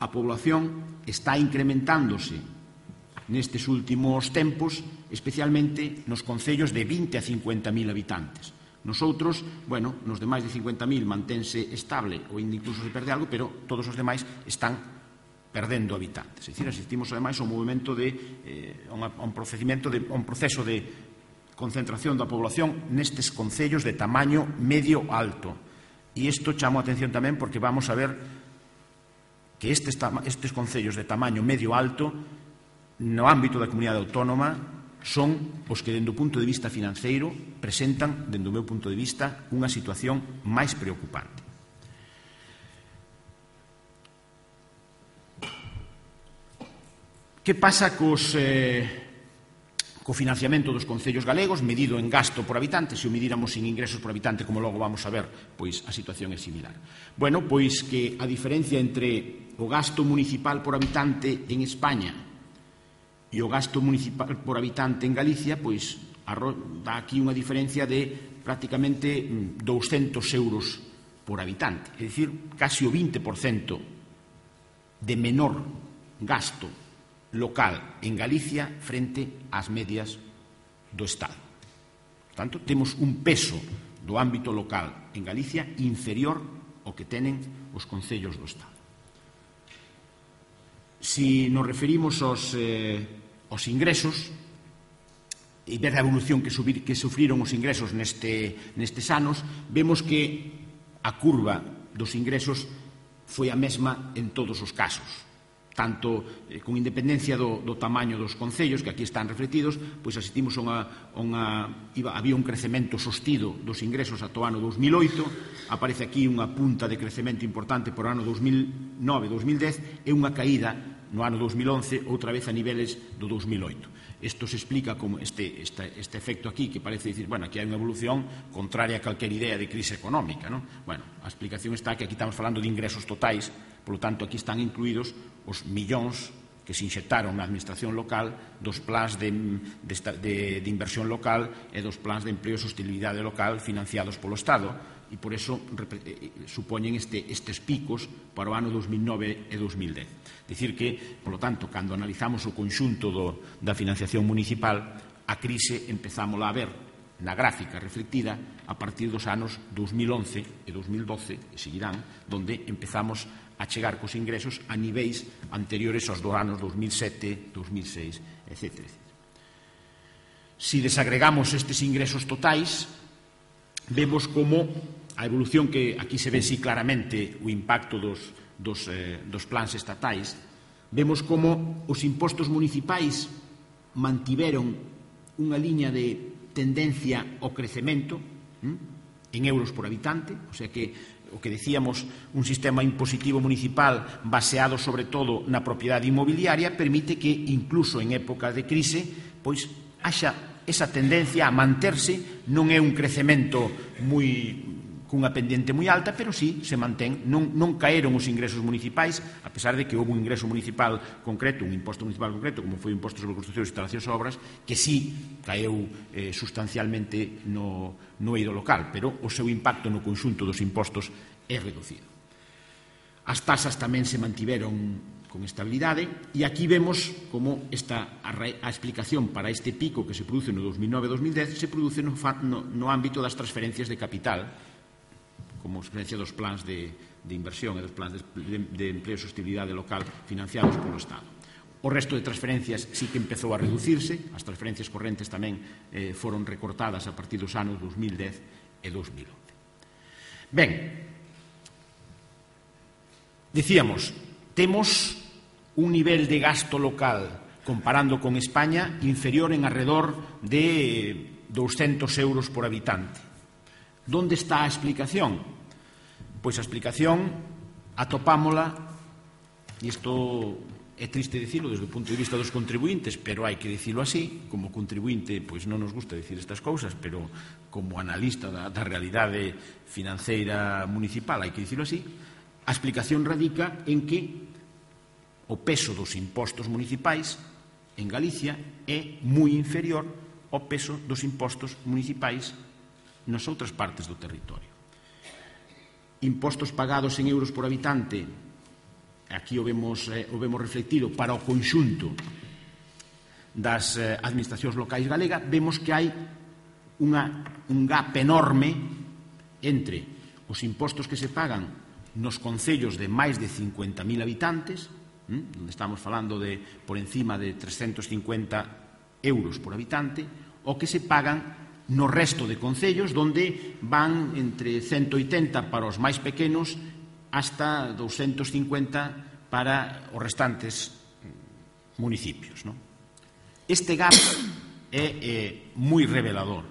a población está incrementándose nestes últimos tempos, especialmente nos concellos de vinte a cincuenta mil habitantes. Nosotros, bueno, nos de máis de cincuenta mil mantense estable ou incluso se perde algo, pero todos os demais están perdendo habitantes. É dicir, asistimos ademais a un movimento de eh, a un procedimento de a un proceso de concentración da población nestes concellos de tamaño medio alto. E isto chamo a atención tamén porque vamos a ver que estes, estes concellos de tamaño medio alto no ámbito da comunidade autónoma son os que, dende o punto de vista financeiro, presentan, dende o meu punto de vista, unha situación máis preocupante. Que pasa cos, eh, co financiamento dos concellos galegos medido en gasto por habitante? Se o medíramos sin ingresos por habitante, como logo vamos a ver, pois a situación é similar. Bueno, pois que a diferencia entre o gasto municipal por habitante en España e o gasto municipal por habitante en Galicia, pois dá aquí unha diferencia de prácticamente douscentos euros por habitante. É dicir, casi o vinte por cento de menor gasto local en Galicia frente ás medias do Estado. Por tanto, temos un peso do ámbito local en Galicia inferior ao que tenen os concellos do Estado. Si nos referimos aos, eh, aos ingresos e ver a evolución que, subir, que sufriron os ingresos neste, nestes anos, vemos que a curva dos ingresos foi a mesma en todos os casos. Tanto eh, con independencia do, do tamaño dos concellos, que aquí están refletidos, pois asistimos a unha, unha iba, había un crecemento sostido dos ingresos ata o ano dos mil oito, aparece aquí unha punta de crecemento importante por ano dos mil nove dos mil dez e unha caída no ano dos mil once outra vez a niveles do dos mil oito. Isto se explica como este, este, este efecto aquí, que parece dicir, bueno, aquí hai unha evolución contraria a calquer idea de crise económica, non? Bueno, a explicación está que aquí estamos falando de ingresos totais, polo tanto, aquí están incluídos os millóns que se inxectaron na administración local dos plans de, de, de, de inversión local e dos plans de empleo e sostenibilidade local financiados polo Estado, e por eso supoñen este, estes picos para o ano dos mil nove e dos mil dez. Dicir que, polo tanto, cando analizamos o conxunto do, da financiación municipal, a crise empezámola a ver na gráfica reflectida a partir dos anos dous mil once e dous mil doce, e seguirán, donde empezamos a chegar cos ingresos a niveis anteriores aos dos anos dous mil sete, dous mil seis, etcétera. Si desagregamos estes ingresos totais, vemos como a evolución, que aquí se ve así claramente o impacto dos, dos, eh, dos plans estatais, vemos como os impostos municipais mantiveron unha liña de tendencia ao crecemento hm, en euros por habitante, o sea que o que decíamos, un sistema impositivo municipal baseado sobre todo na propiedade inmobiliaria permite que incluso en época de crise pois haxa esa tendencia a manterse. Non é un crecemento moi cunha pendiente moi alta, pero sí se mantén, non, non caeron os ingresos municipais, a pesar de que houve un ingreso municipal concreto, un imposto municipal concreto, como foi o imposto sobre construccións, instalacións e obras, que sí caeu eh, sustancialmente no, no eido local, pero o seu impacto no conxunto dos impostos é reducido. As tasas tamén se mantiveron con estabilidade, e aquí vemos como esta, a, a explicación para este pico que se produce no dos mil nove a dos mil dez se produce no, no, no ámbito das transferencias de capital, como experiencia dos plans de, de inversión e dos plans de, de, de empleo e sostenibilidade local financiados polo Estado. O resto de transferencias sí que empezou a reducirse, as transferencias correntes tamén eh, foron recortadas a partir dos anos dos mil dez e dos mil once. Ben, dicíamos, temos un nivel de gasto local comparando con España inferior en arredor de douscentos euros por habitante. Donde está a explicación? Pois a explicación atopámola, e isto é triste dicilo desde o punto de vista dos contribuintes, pero hai que dicilo así. Como contribuinte, pois non nos gusta dicir estas cousas, pero como analista da, da realidade financeira municipal hai que dicilo así. A explicación radica en que o peso dos impostos municipais en Galicia é moi inferior ao peso dos impostos municipais nas outras partes do territorio. Impostos pagados en euros por habitante, aquí o vemos, eh, o vemos reflectido para o conxunto das eh, administracións locais galega, vemos que hai unha, un gap enorme entre os impostos que se pagan nos concellos de máis de cincuenta mil habitantes, hm, onde estamos falando de por encima de trescentos cincuenta euros por habitante, o que se pagan no resto de concellos, donde van entre ciento oitenta para os máis pequenos hasta doscientos cincuenta para os restantes municipios, ¿no? Este gap é eh, moi revelador.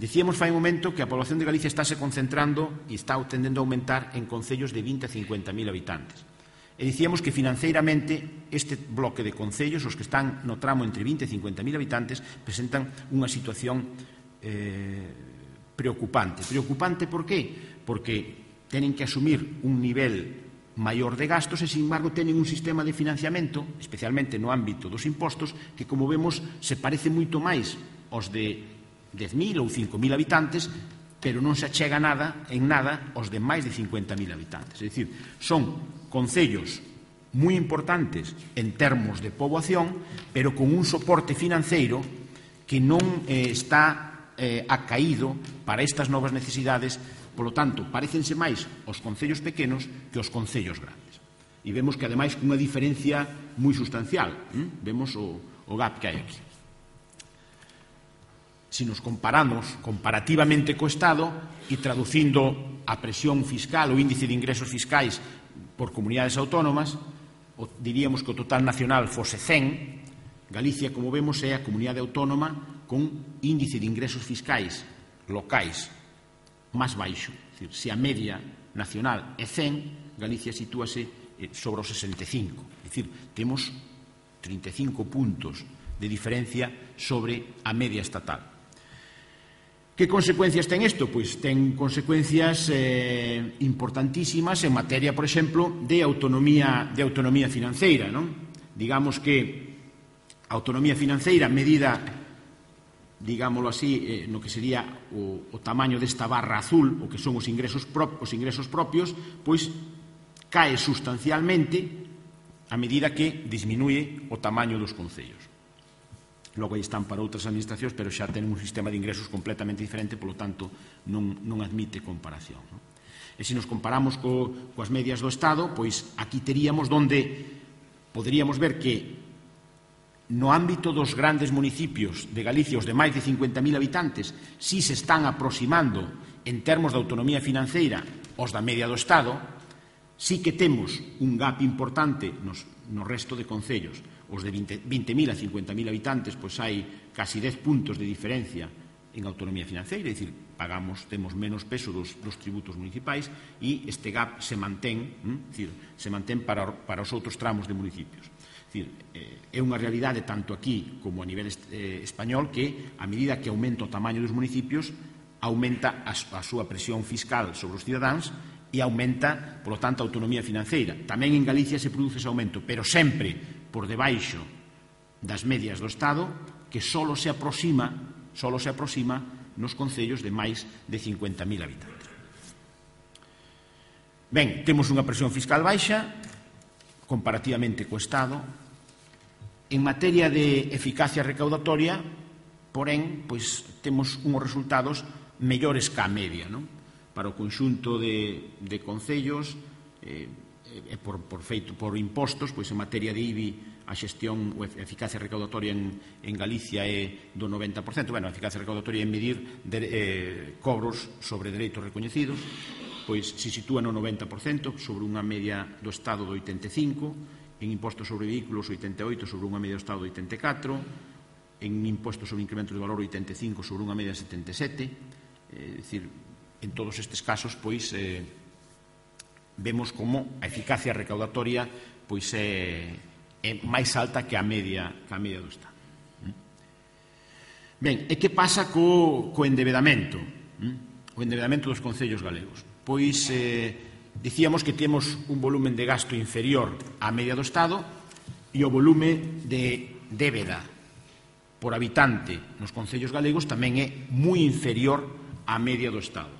Dicíamos fai un momento que a población de Galicia está se concentrando e está tendendo a aumentar en concellos de vinte a cincuenta mil habitantes. E dicíamos que financeiramente este bloque de concellos, os que están no tramo entre vinte e cincuenta mil habitantes, presentan unha situación Eh, preocupante. Preocupante por qué? Porque tenen que asumir un nivel maior de gastos e, sin embargo, tenen un sistema de financiamento, especialmente no ámbito dos impostos, que, como vemos, se parece moito máis aos de dez mil ou cinco mil habitantes, pero non se achega nada en nada aos de máis de cincuenta mil habitantes. É dicir, son concellos moi importantes en termos de poboación, pero con un soporte financeiro que non eh, está Eh, acaído para estas novas necesidades. Polo tanto, parecense máis os concellos pequenos que os concellos grandes. E vemos que, ademais, cunha diferencia moi sustancial. ¿Mm? Vemos o, o gap que hai aquí. Si nos comparamos comparativamente co Estado e traducindo a presión fiscal, o índice de ingresos fiscais por comunidades autónomas, o, diríamos que o total nacional fose cen. Galicia, como vemos, é a comunidade autónoma con índice de ingresos fiscais locais máis baixo. É dicir, se a media nacional é cen, Galicia sitúase sobre os sesenta e cinco. É dicir, temos trinta e cinco puntos de diferencia sobre a media estatal. Que consecuencias ten isto? Pois ten consecuencias eh, importantísimas en materia, por exemplo, de autonomía, de autonomía financeira, non? Digamos que a autonomía financeira medida, digámoslo así, eh, no que sería o, o tamaño desta barra azul, o que son os ingresos, prop, os ingresos propios, pois cae sustancialmente a medida que disminuye o tamaño dos concellos. logo aí están para outras administracións, pero xa ten un sistema de ingresos completamente diferente, polo tanto non, non admite comparación, non? E se nos comparamos co, coas medias do Estado, pois aquí teríamos donde poderíamos ver que no ámbito dos grandes municipios de Galicia, os de máis de cincuenta mil habitantes, si se están aproximando en termos de autonomía financeira os da media do Estado, si que temos un gap importante nos, no resto de concellos. Os de vinte mil a cincuenta mil habitantes, pois hai casi dez puntos de diferencia en autonomía financeira, é dicir, pagamos, temos menos peso dos, dos tributos municipais e este gap se mantén, hm? Dicir, se mantén para, para os outros tramos de municipios. Dicir, eh, é unha realidade tanto aquí como a nivel eh, español que a medida que aumenta o tamaño dos municipios aumenta a, a súa presión fiscal sobre os cidadáns e aumenta, polo tanto, a autonomía financeira. Tamén en Galicia se produce ese aumento, pero sempre por debaixo das medias do Estado, que solo se aproxima, solo se aproxima nos concellos de máis de cincuenta mil habitantes. Ben, temos unha presión fiscal baixa, comparativamente co Estado. En materia de eficacia recaudatoria, porén, pois temos unhos resultados mellores ca media, non? Para o conxunto de, de concellos, eh, e por, por feito por impostos, pois en materia de I B I a xestión ou eficacia recaudatoria en, en Galicia é do noventa por cento. Bueno, a eficacia recaudatoria é medir de, eh, cobros sobre dereitos recoñecidos, pois se sitúa no noventa por cento sobre unha media do Estado do oitenta e cinco por cento, en impostos sobre vehículos oitenta e oito por cento sobre unha media do Estado do oitenta e catro por cento, en impostos sobre incrementos de valor oitenta e cinco por cento sobre unha media de setenta e sete por cento, é dicir, en todos estes casos, pois, eh, vemos como a eficacia recaudatoria pois é, é máis alta que a media, que a media do Estado. Ben, e que pasa co, co endebedamento? O endebedamento dos concellos galegos. Pois, eh, dicíamos que temos un volumen de gasto inferior á media do Estado e o volume de débeda por habitante nos concellos galegos tamén é moi inferior á media do Estado.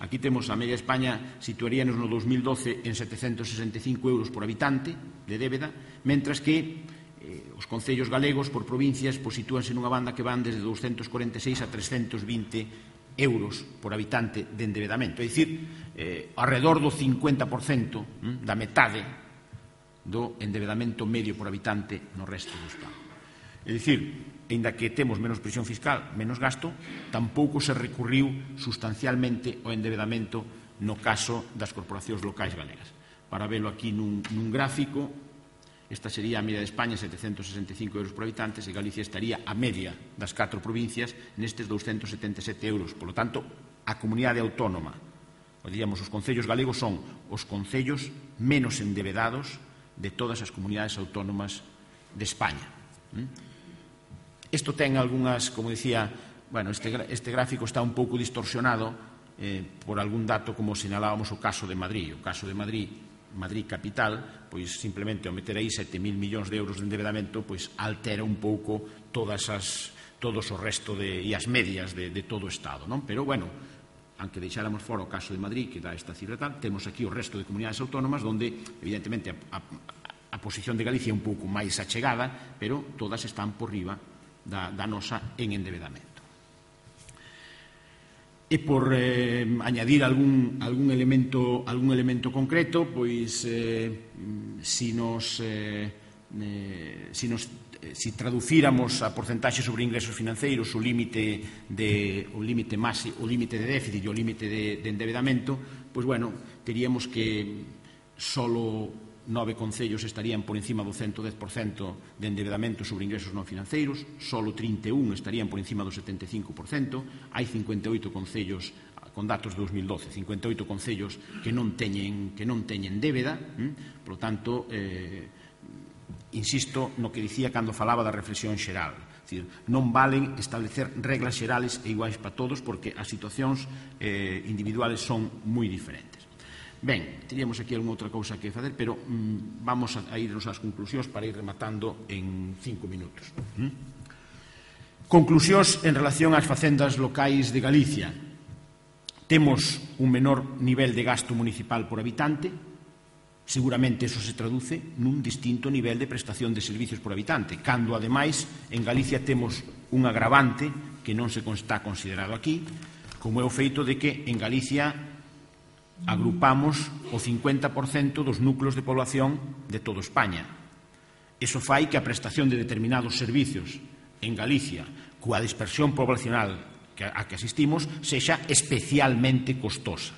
Aquí temos a media de España, situaríanos no dos mil doce en setecentos sesenta e cinco euros por habitante de débeda, mentras que eh, os concellos galegos por provincias pues, sitúanse nunha banda que van desde doscientos cuarenta e seis a trescentos vinte euros por habitante de endebedamento. É dicir, eh, alrededor do cincuenta por cento hm, da metade do endebedamento medio por habitante no resto do Estado. É dicir, aínda que temos menos presión fiscal, menos gasto, tampouco se recurriu sustancialmente ao endebedamento no caso das corporacións locais galegas. Para velo aquí nun, nun gráfico, esta sería a media de España, setecentos sesenta e cinco euros por habitantes, e Galicia estaría a media das catro provincias nestes doscientos setenta e sete euros. Por lo tanto, a comunidade autónoma, ou diríamos, os concellos galegos son os concellos menos endebedados de todas as comunidades autónomas de España. ¿Mm? Isto ten algunhas, como dicía, bueno, este, este gráfico está un pouco distorsionado eh, por algún dato, como sinalábamos o caso de Madrid. O caso de Madrid, Madrid capital, pois simplemente ao meter aí sete mil millóns de euros de endebedamento, pois altera un pouco todas as, todos o resto de, e as medias de, de todo o Estado, non? Pero, bueno, aunque deixáramos fora o caso de Madrid, que dá esta cifra tal, temos aquí o resto de comunidades autónomas onde, evidentemente, a, a, a posición de Galicia é un pouco máis achegada, pero todas están por riba Da, da nosa en endebedamento. E por eh, añadir algún, algún, elemento, algún elemento concreto, pois eh, si nos, eh, eh, si nos eh, si traducíramos a porcentaxe sobre ingresos financeiros o límite de o límite máximo, o límite de déficit e o límite de, de endebedamento, pois bueno, teríamos que solo nove concellos estarían por encima do ciento dez por cento de endebedamento sobre ingresos non financeiros, solo trinta e un estarían por encima do setenta e cinco por cento, hai cincuenta e oito concellos con datos de dos mil doce, cincuenta e oito concellos que non teñen, que non teñen débeda, hm? Por lo tanto, eh, insisto no que dicía cando falaba da reflexión xeral, é dicir, non valen establecer reglas xerales e iguais para todos porque as situacións eh, individuales son moi diferentes. Ben, teríamos aquí algunha outra cousa que facer, pero mm, vamos a, a irnos ás conclusións para ir rematando en cinco minutos. ¿Mm? Conclusións en relación ás facendas locais de Galicia. Temos un menor nivel de gasto municipal por habitante, Seguramente eso se traduce nun distinto nivel de prestación de servicios por habitante, cando, ademais, en Galicia temos un agravante que non se está considerado aquí, como é o feito de que en Galicia agrupamos o cincuenta por cento dos núcleos de población de toda España. Iso fai que a prestación de determinados servicios en Galicia, coa dispersión poblacional a que asistimos, sexa especialmente costosa.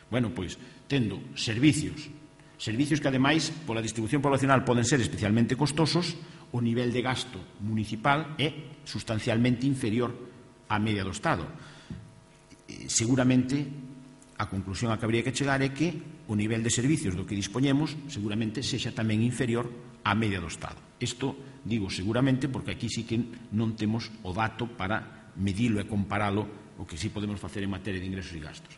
Bueno, pois, tendo servicios Servicios que, ademais, pola distribución poblacional poden ser especialmente costosos, o nivel de gasto municipal é sustancialmente inferior á media do Estado. Seguramente, a conclusión a que habría que chegar é que o nivel de servicios do que dispoñemos seguramente sexa tamén inferior á media do Estado. Isto digo seguramente porque aquí sí que non temos o dato para medilo e comparalo o que sí podemos facer en materia de ingresos e gastos.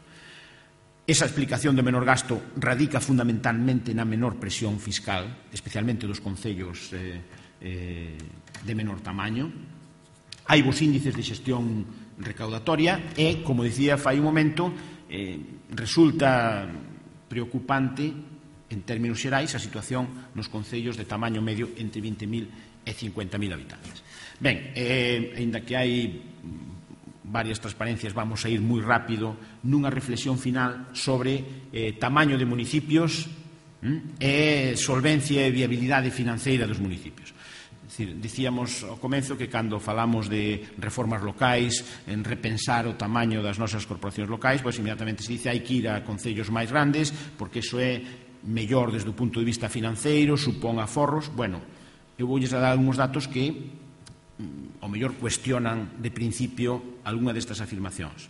Esa explicación do menor gasto radica fundamentalmente na menor presión fiscal, especialmente dos concellos eh, eh, de menor tamaño. Hai vos índices de xestión recaudatoria e, como dicía fai un momento, eh, resulta preocupante en términos xerais a situación nos concellos de tamaño medio entre vinte mil e cincuenta mil habitantes. Ben, eh, ainda que hai varias transparencias, vamos a ir moi rápido nunha reflexión final sobre eh, tamaño de municipios hm, e solvencia e viabilidade financeira dos municipios. É dicir, dicíamos ao comezo que cando falamos de reformas locais, en repensar o tamaño das nosas corporacións locais, pois inmediatamente se dice hai que ir a concellos máis grandes porque iso é mellor desde o punto de vista financeiro, supón aforros. Bueno, eu voulles dar algúns datos que ao mellor cuestionan de principio algunha destas afirmacións.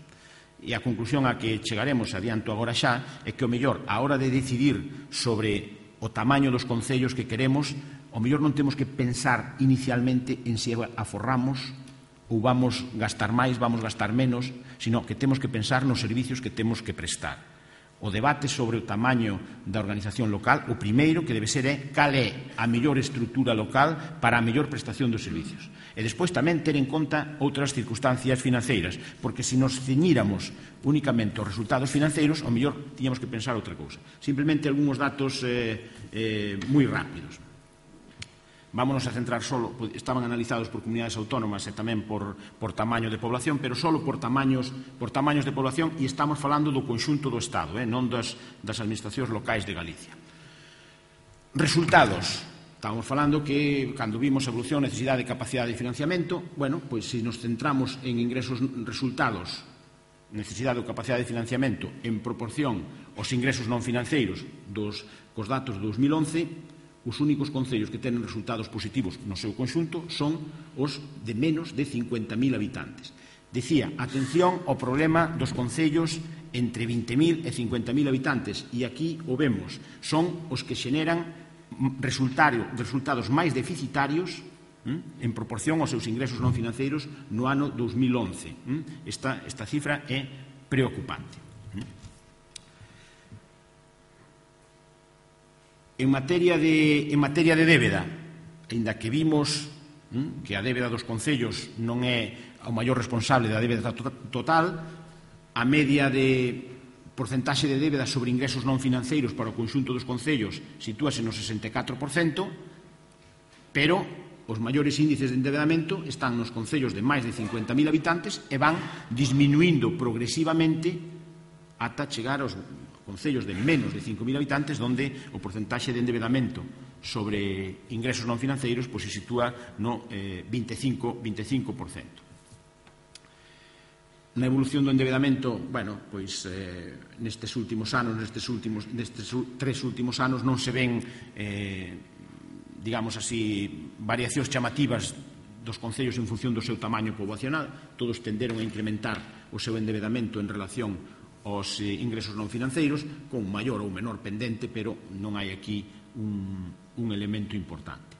E a conclusión a que chegaremos, adianto agora xa, é que o mellor, a hora de decidir sobre o tamaño dos concellos que queremos, o mellor non temos que pensar inicialmente en se aforramos ou vamos gastar máis, vamos gastar menos, sino que temos que pensar nos servicios que temos que prestar. O debate sobre o tamaño da organización local, o primeiro que debe ser é cal é a mellor estrutura local para a mellor prestación dos servicios. E despois tamén ter en conta outras circunstancias financeiras, porque se nos ceñíramos únicamente aos resultados financeiros, ao mellor tiñamos que pensar outra cousa. Simplemente algúns datos eh, eh, moi rápidos. Vámonos a centrar solo, estaban analizados por comunidades autónomas e tamén por, por tamaño de población, pero solo por tamaños, por tamaños de población, e estamos falando do conxunto do Estado, eh, non das, das administracións locais de Galicia. Resultados. Estamos falando que, cando vimos a evolución, necesidade de capacidade de financiamento, bueno, pois se nos centramos en ingresos resultados, necesidade ou capacidade de financiamento en proporción aos ingresos non financeiros dos, cos datos de dos mil once, os únicos concellos que tenen resultados positivos no seu conxunto son os de menos de cincuenta mil habitantes. Decía, atención ao problema dos concellos entre vinte mil e cincuenta mil habitantes, e aquí o vemos, son os que xeneran resultados máis deficitarios hm, en proporción aos seus ingresos non financeiros no ano dos mil once. Hm? Esta, esta cifra é preocupante. En materia de, en materia de débeda, aínda que vimos hm, que a débeda dos concellos non é o maior responsable da débeda total, a media de porcentaxe de débeda sobre ingresos non financeiros para o conxunto dos concellos sitúase no sesenta e catro por cento, pero os maiores índices de endebedamento están nos concellos de máis de cincuenta mil habitantes e van disminuindo progresivamente ata chegar aos concellos de menos de cinco mil habitantes, onde o porcentaxe de endebedamento sobre ingresos non financeiros pois, se sitúa no eh, veinticinco por cento. Na evolución do endebedamento, bueno, pois eh, nestes últimos anos, nestes últimos, nestes tres últimos anos non se ven, eh, digamos así, variacións chamativas dos concellos en función do seu tamaño poboacional. Todos tenderon a incrementar o seu endebedamento en relación aos ingresos non financeiros, con maior ou menor pendente, pero non hai aquí un, un elemento importante.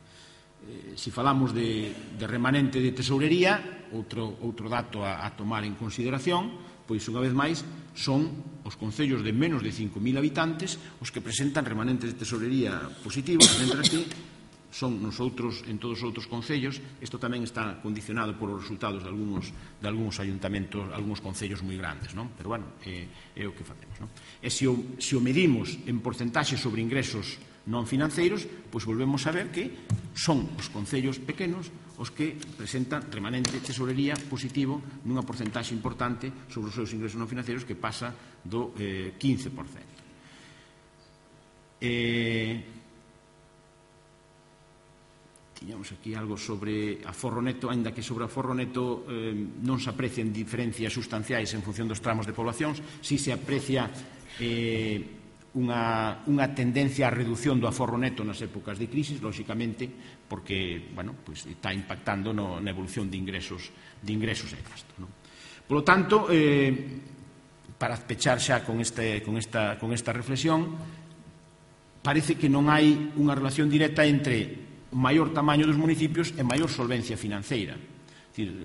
Eh, se falamos de, de remanente de tesourería, outro, outro dato a, a tomar en consideración, pois unha vez máis son os concellos de menos de cinco mil habitantes os que presentan remanentes de tesourería positivos, mentre que son nosotros en todos os outros concellos. Isto tamén está condicionado por os resultados de algúns, de algúns ayuntamentos, algúns concellos moi grandes, non? Pero, bueno, é, é o que facemos, non? E se o, se o medimos en porcentaxe sobre ingresos non financeiros, pois volvemos a ver que son os concellos pequenos os que presentan remanente tesorería positivo nunha porcentaxe importante sobre os seus ingresos non financeiros, que pasa do eh, quince por cento. Eh, tiñamos aquí algo sobre aforro neto, aínda que sobre aforro neto eh, non se aprecian diferencias sustanciais en función dos tramos de poblacións, si se aprecia eh, Unha, unha tendencia á reducción do aforro neto nas épocas de crisis, lóxicamente, porque, bueno, pues, está impactando no, na evolución de ingresos, de ingresos e gastos, non? Por lo tanto, eh, para pechar xa con, este, con, esta, con esta reflexión, parece que non hai unha relación directa entre o maior tamaño dos municipios e maior solvencia financeira. É dicir,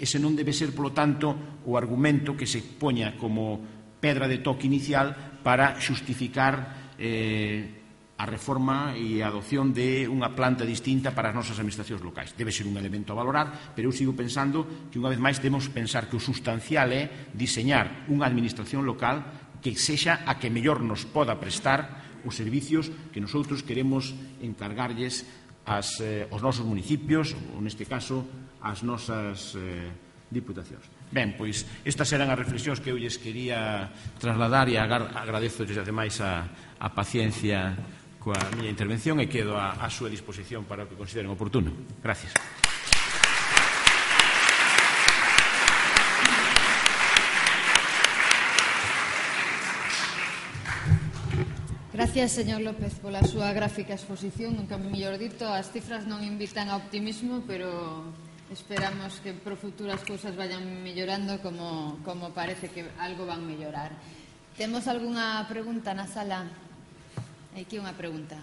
ese non debe ser, polo tanto, o argumento que se poña como pedra de toque inicial para xustificar eh, a reforma e a adopción de unha planta distinta para as nosas administracións locais. Debe ser un elemento a valorar, pero eu sigo pensando que unha vez máis debemos pensar que o sustancial é diseñar unha administración local que sexa a que mellor nos poda prestar os servicios que nosotros queremos encargarlles as, eh, aos nosos municipios, ou neste caso, ás nosas eh, diputacións. Ben, pois, estas eran as reflexións que eu lles quería trasladar e agradezo desde ademais a, a paciencia coa miña intervención e quedo a, a súa disposición para o que consideren oportuno. Gracias. Gracias, señor López, pola súa gráfica exposición. Nunca mellor dito, as cifras non invitan a optimismo, pero esperamos que pro futuro as cousas vayan mellorando como, como parece que algo van mellorar. Temos algunha pregunta na sala? Hai aquí unha pregunta.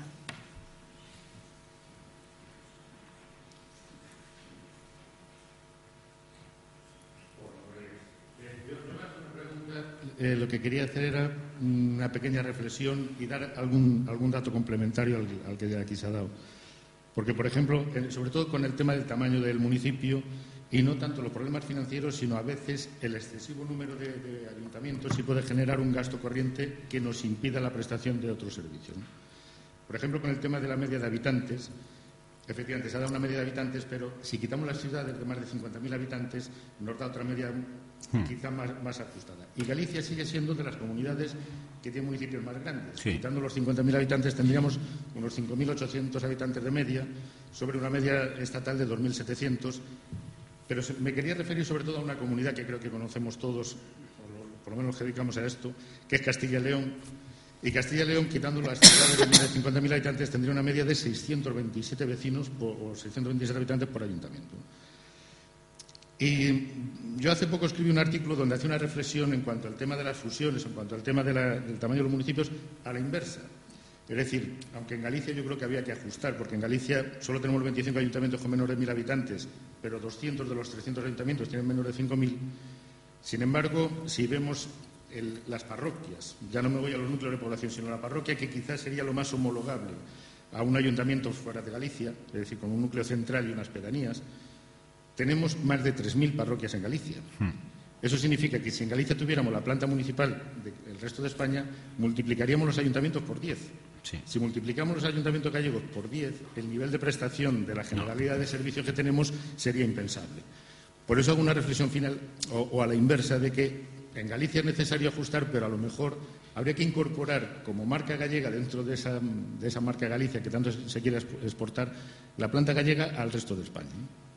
Eh, lo que quería hacer era una pequeña reflexión y dar algún, algún dato complementario al, al que ya aquí se ha dado. Porque, por ejemplo, sobre todo con el tema del tamaño del municipio y no tanto los problemas financieros, sino a veces el excesivo número de, de ayuntamientos sí puede generar un gasto corriente que nos impida la prestación de otros servicios, ¿no? Por ejemplo, con el tema de la media de habitantes, efectivamente se ha dado una media de habitantes, pero si quitamos las ciudades de más de cincuenta mil habitantes, nos da otra media quizá más, más ajustada. Y Galicia sigue siendo de las comunidades que tiene municipios más grandes. Sí. Quitando los cincuenta mil habitantes tendríamos unos cinco mil ochocientos habitantes de media sobre una media estatal de dos mil setecientos. Pero me quería referir sobre todo a una comunidad que creo que conocemos todos, o por lo menos nos dedicamos a esto, que es Castilla y León. Y Castilla y León, quitando las ciudades de cincuenta mil habitantes, tendría una media de seiscientos veintisiete vecinos por, o seiscientos veintisiete habitantes por ayuntamiento. Y yo hace poco escribí un artículo donde hacía una reflexión en cuanto al tema de las fusiones, en cuanto al tema de la, del tamaño de los municipios, a la inversa. Es decir, aunque en Galicia yo creo que había que ajustar, porque en Galicia solo tenemos veinticinco ayuntamientos con menos de mil habitantes, pero doscientos de los trescientos ayuntamientos tienen menos de cinco mil. Sin embargo, si vemos el, las parroquias, ya no me voy a los núcleos de población, sino a la parroquia, que quizás sería lo más homologable a un ayuntamiento fuera de Galicia, es decir, con un núcleo central y unas pedanías, tenemos más de tres mil parroquias en Galicia. Hmm. Eso significa que si en Galicia tuviéramos la planta municipal del resto de España, multiplicaríamos los ayuntamientos por diez. Sí. Si multiplicamos los ayuntamientos gallegos por diez, el nivel de prestación de la generalidad no. de servicios que tenemos sería impensable. Por eso hago una reflexión final, o, o a la inversa, de que en Galicia es necesario ajustar, pero a lo mejor habría que incorporar como marca gallega dentro de esa, de esa marca Galicia que tanto se quiere exportar, la planta gallega al resto de España, ¿no?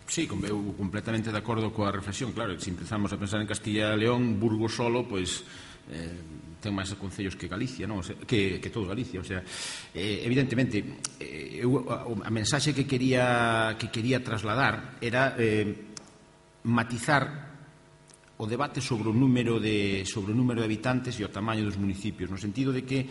Sí, eu completamente de acordo coa reflexión. Claro, se empezamos a pensar en Castilla e León, Burgos solo, pois eh, ten máis concellos que Galicia, non? O sea, que, que todo Galicia. O sea, eh, evidentemente, eh, eu, a, a mensaxe que quería, que quería trasladar era eh, matizar o debate sobre o número de sobre o número de habitantes e o tamaño dos municipios, no sentido de que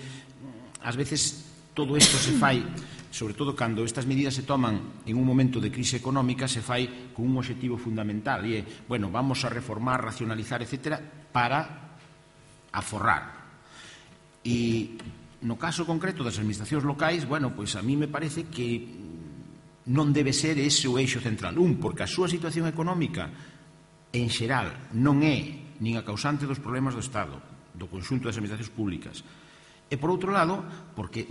ás veces todo isto se fai, sobre todo cando estas medidas se toman en un momento de crise económica, se fai con un objetivo fundamental e é, bueno, vamos a reformar, racionalizar, etcétera, para aforrar. E no caso concreto das administracións locais, bueno, pois a mí me parece que non debe ser ese o eixo central. Un, porque a súa situación económica en xeral non é nin a causante dos problemas do Estado, do conxunto das administracións públicas. E, por outro lado, porque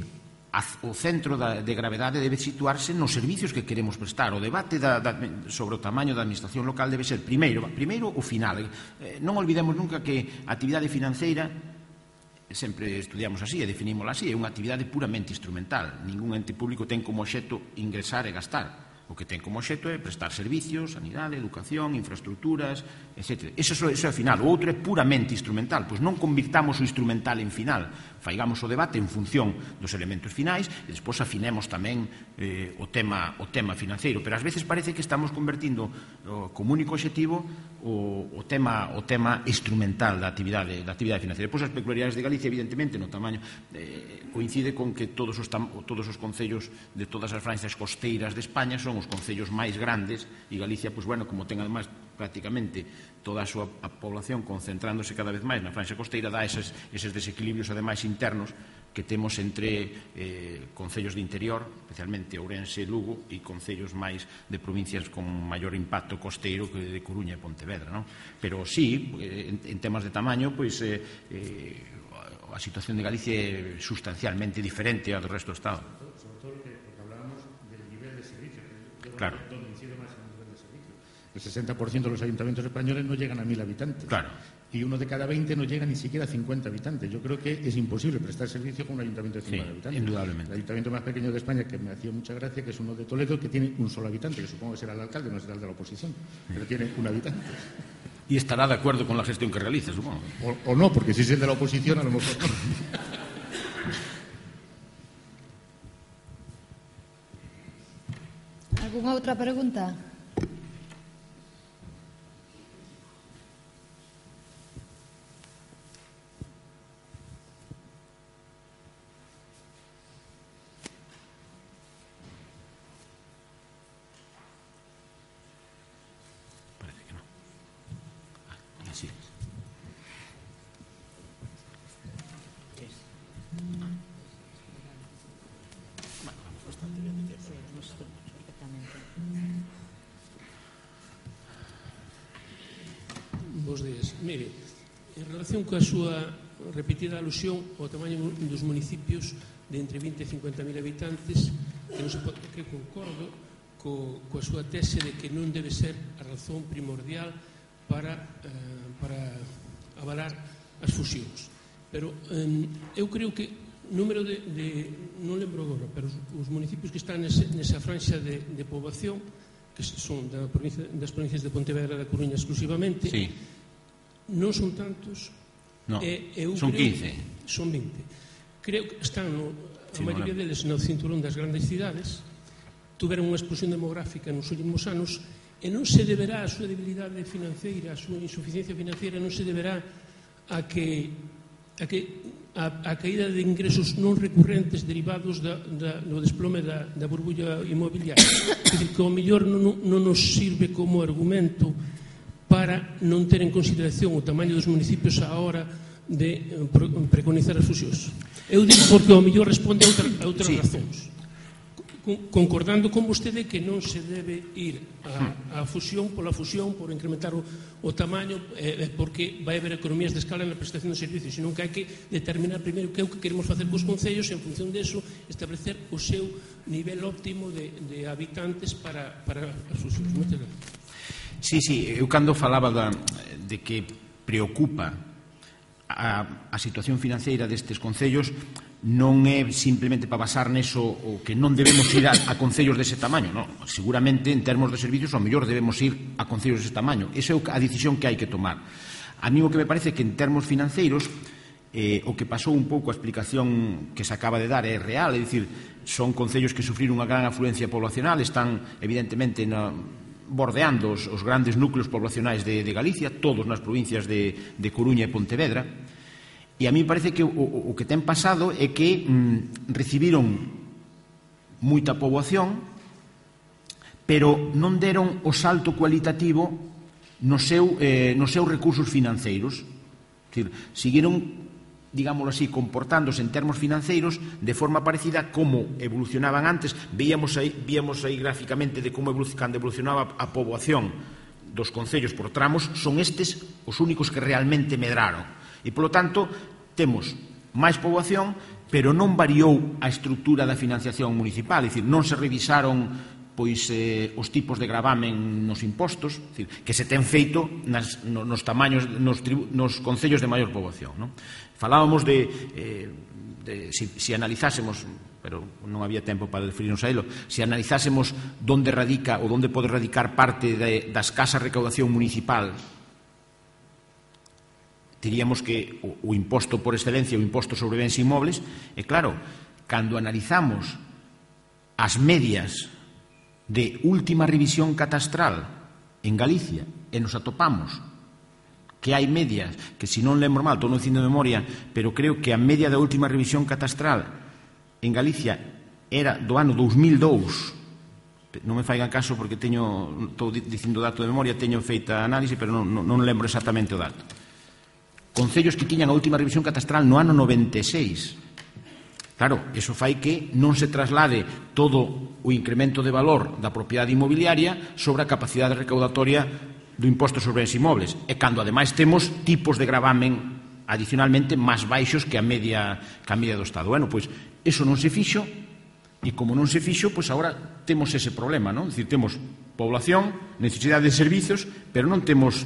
o centro de gravedade debe situarse nos servicios que queremos prestar. O debate da, da, sobre o tamaño da administración local debe ser primeiro, primeiro o final. Eh, non olvidemos nunca que a actividade financeira, sempre estudiamos así e definímola así, é unha actividade puramente instrumental. Ningún ente público ten como obxecto ingresar e gastar. O que ten como obxecto é prestar servicios, sanidade, educación, infraestructuras, etcétera. Eso é o final. O outro é puramente instrumental. Pois non convirtamos o instrumental en final. Faigamos o debate en función dos elementos finais e despois afinemos tamén eh, o, tema, o tema financeiro. Pero ás veces parece que estamos convertindo o, como único obxectivo o, o, tema, o tema instrumental da actividade, da actividade financiera. Depois as peculiaridades de Galicia, evidentemente, no tamaño eh, coincide con que todos os, tam, todos os concellos de todas as franxas costeiras de España son os concellos máis grandes e Galicia, pois, bueno, como ten ademais prácticamente toda a súa a población concentrándose cada vez máis na franxa costeira, dá eses, eses desequilibrios ademais internos que temos entre eh, concellos de interior, especialmente Ourense e Lugo, e concellos máis de provincias con maior impacto costeiro que de Coruña e Pontevedra, non? Pero sí, en, en temas de tamaño, pois eh, eh, a situación de Galicia é sustancialmente diferente ao do resto do Estado. Sobre todo porque hablábamos del nivel de servicio, que yo claro. Donde incide más en el nivel de servicio. El sesenta por ciento de los ayuntamientos españoles no llegan a mil habitantes. Claro. Y uno de cada veinte no llega ni siquiera a cincuenta habitantes. Yo creo que es imposible prestar servicio con un ayuntamiento de cincuenta sí, habitantes. Indudablemente. El ayuntamiento más pequeño de España, que me hacía mucha gracia, que es uno de Toledo, que tiene un solo habitante, que supongo que será el alcalde, no será el de la oposición, pero tiene un habitante. Y estará de acuerdo con la gestión que realiza, supongo. O, o no, porque si es el de la oposición, a lo mejor no. ¿Alguna outra pregunta? Parece que no. Ah, así es. Bueno, vamos bastante bien de tiempo. Bos días. Mire, en relación coa súa repetida alusión ao tamaño dos municipios de entre vinte e cincuenta mil habitantes, que, non se pode, que concordo co, coa súa tese de que non debe ser a razón primordial para, eh, para avalar as fusións. Pero eh, eu creo que número de, de non lembro agora, pero os, os municipios que están nese, nesa franxa de, de poboación, que son da provincia, das provincias de Pontevedra e da Coruña exclusivamente, sí. Non son tantos. No, e, eu son creo, quince. Son vinte. Creo que están, no, a sí, maioría no deles no cinturón das grandes cidades, tuveron unha explosión demográfica nos últimos anos e non se deberá a súa debilidade financeira, a súa insuficiencia financeira, non se deberá a que a que a, a caída de ingresos non recurrentes derivados da, da, do desplome da, da burbulla inmobiliaria. É dicir, que ao mellor non, non nos sirve como argumento para non ter en consideración o tamaño dos municipios á hora de preconizar as fusións. Eu digo porque ao mellor responde a, outra, a outras sí. razóns. Concordando con vostede que non se debe ir a, a fusión pola fusión, por incrementar o, o tamaño, eh, porque vai haber economías de escala na prestación de servicios, senón que hai que determinar primeiro que é o que queremos facer cos concellos e, en función deso, establecer o seu nivel óptimo de, de habitantes para, para as fusións. Moitas gracias. Sí, sí, eu cando falaba da, de que preocupa a, a situación financeira destes concellos, non é simplemente para basar neso o que non debemos ir a, a concellos dese tamaño, non. Seguramente, en termos de servicios, ao mellor debemos ir a concellos dese tamaño. Esa é a decisión que hai que tomar. A mí o que me parece que en termos financeiros eh, o que pasou un pouco a explicación que se acaba de dar é real, é dicir, son concellos que sufriron unha gran afluencia poblacional, están evidentemente na bordeando os, os grandes núcleos poblacionais de, de Galicia, todos nas provincias de, de Coruña e Pontevedra, e a mí parece que o, o, o que ten pasado é que mm, recibiron moita poboación, pero non deron o salto cualitativo no seu, eh, nos seus recursos financeiros. É dicir, seguiron digámoslo así, comportándose en termos financeiros de forma parecida como evolucionaban antes. Víamos aí, víamos aí gráficamente de como evoluc cando evolucionaba a poboación dos concellos por tramos, son estes os únicos que realmente medraron. E, polo tanto, temos máis poboación, pero non variou a estrutura da financiación municipal, é dicir, non se revisaron pois eh, os tipos de gravamen nos impostos, dicir, que se ten feito nas, no, nos tamaños, nos, tribu, nos concellos de maior poboación, non? Falábamos de, eh, de si, si analizásemos, pero non había tempo para referirnos a elo, si analizásemos onde radica ou onde pode radicar parte de, da escasa recaudación municipal, diríamos que o, o imposto por excelencia, o imposto sobre bens inmobles, e claro, cando analizamos as medias de última revisión catastral en Galicia e nos atopamos que hai medias que, se non lembro mal, estou non dicindo de memoria, pero creo que a media da última revisión catastral en Galicia era do ano dous mil dous, non me faigan caso porque teño, estou dicindo dato de memoria, teño feita análise, pero non, non, non lembro exactamente o dato. Concellos que tiñan a última revisión catastral no ano noventa e seis. Claro, iso fai que non se traslade todo o incremento de valor da propiedade inmobiliaria sobre a capacidade recaudatoria do imposto sobre bens inmobles. E cando, ademais, temos tipos de gravamen adicionalmente máis baixos que a media, que a media do Estado. Bueno, pois, iso non se fixo, e como non se fixo, pois agora temos ese problema, non? É dicir, temos población, necesidade de servizos, pero non temos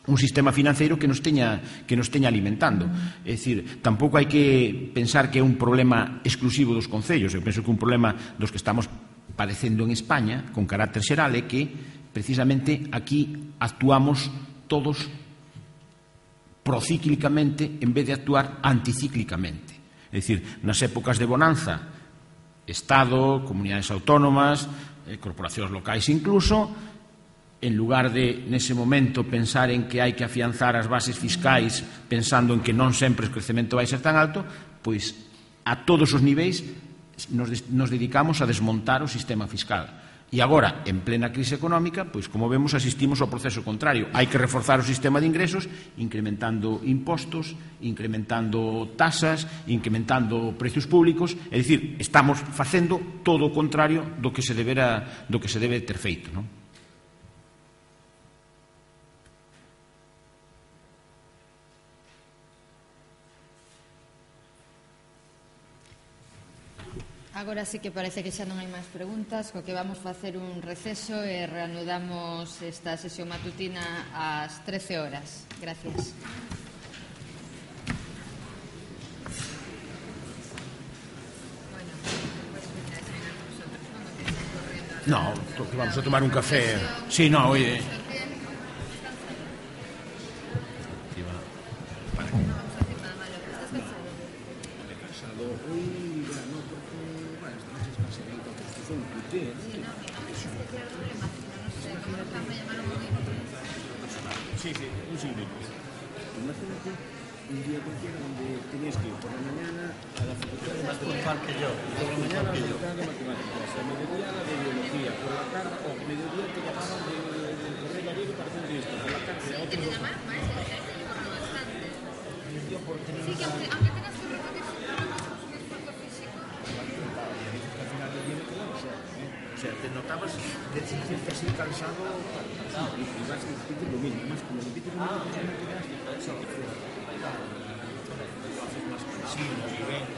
un sistema financeiro que nos teña que nos teña alimentando. É dicir, tampouco hai que pensar que é un problema exclusivo dos concellos. Eu penso que un problema dos que estamos padecendo en España, con carácter xeral, é que precisamente aquí actuamos todos procíclicamente en vez de actuar anticíclicamente. É dicir, nas épocas de bonanza, Estado, comunidades autónomas, eh, corporacións locais incluso, en lugar de, nese momento, pensar en que hai que afianzar as bases fiscais pensando en que non sempre o crecemento vai ser tan alto, pois a todos os niveis nos, nos dedicamos a desmontar o sistema fiscal. E agora, en plena crise económica, pois como vemos, asistimos ao proceso contrario. Hai que reforzar o sistema de ingresos incrementando impostos, incrementando tasas, incrementando precios públicos, é dicir, estamos facendo todo o contrario do que se debera, do que se debe ter feito, non? Agora sí que parece que xa non hai máis preguntas, co que vamos facer un receso e reanudamos esta sesión matutina ás trece horas. Gracias. No, vamos a tomar un café. Sí, no, oye. Sí, sí, un siglo. Imagínate un día cualquiera donde tenías que ir por la mañana a la facultad de matemáticas, que yo, por la mañana a la facultad de matemáticas, a mediodía a la de biología, por la tarde, o oh, mediodía te llamaban de, de, de correr gallego para hacer esto, por la tarde a otros dos. Sí, que aunque, aunque tengas que recorrer un esfuerzo físico. Al final del día no o sea, o sea, te notabas de sentirte así cansado, cansado, y vas a repetir lo mismo, además como repites lo mismo, pues no te das, eso, lo haces más cansino, viviendo.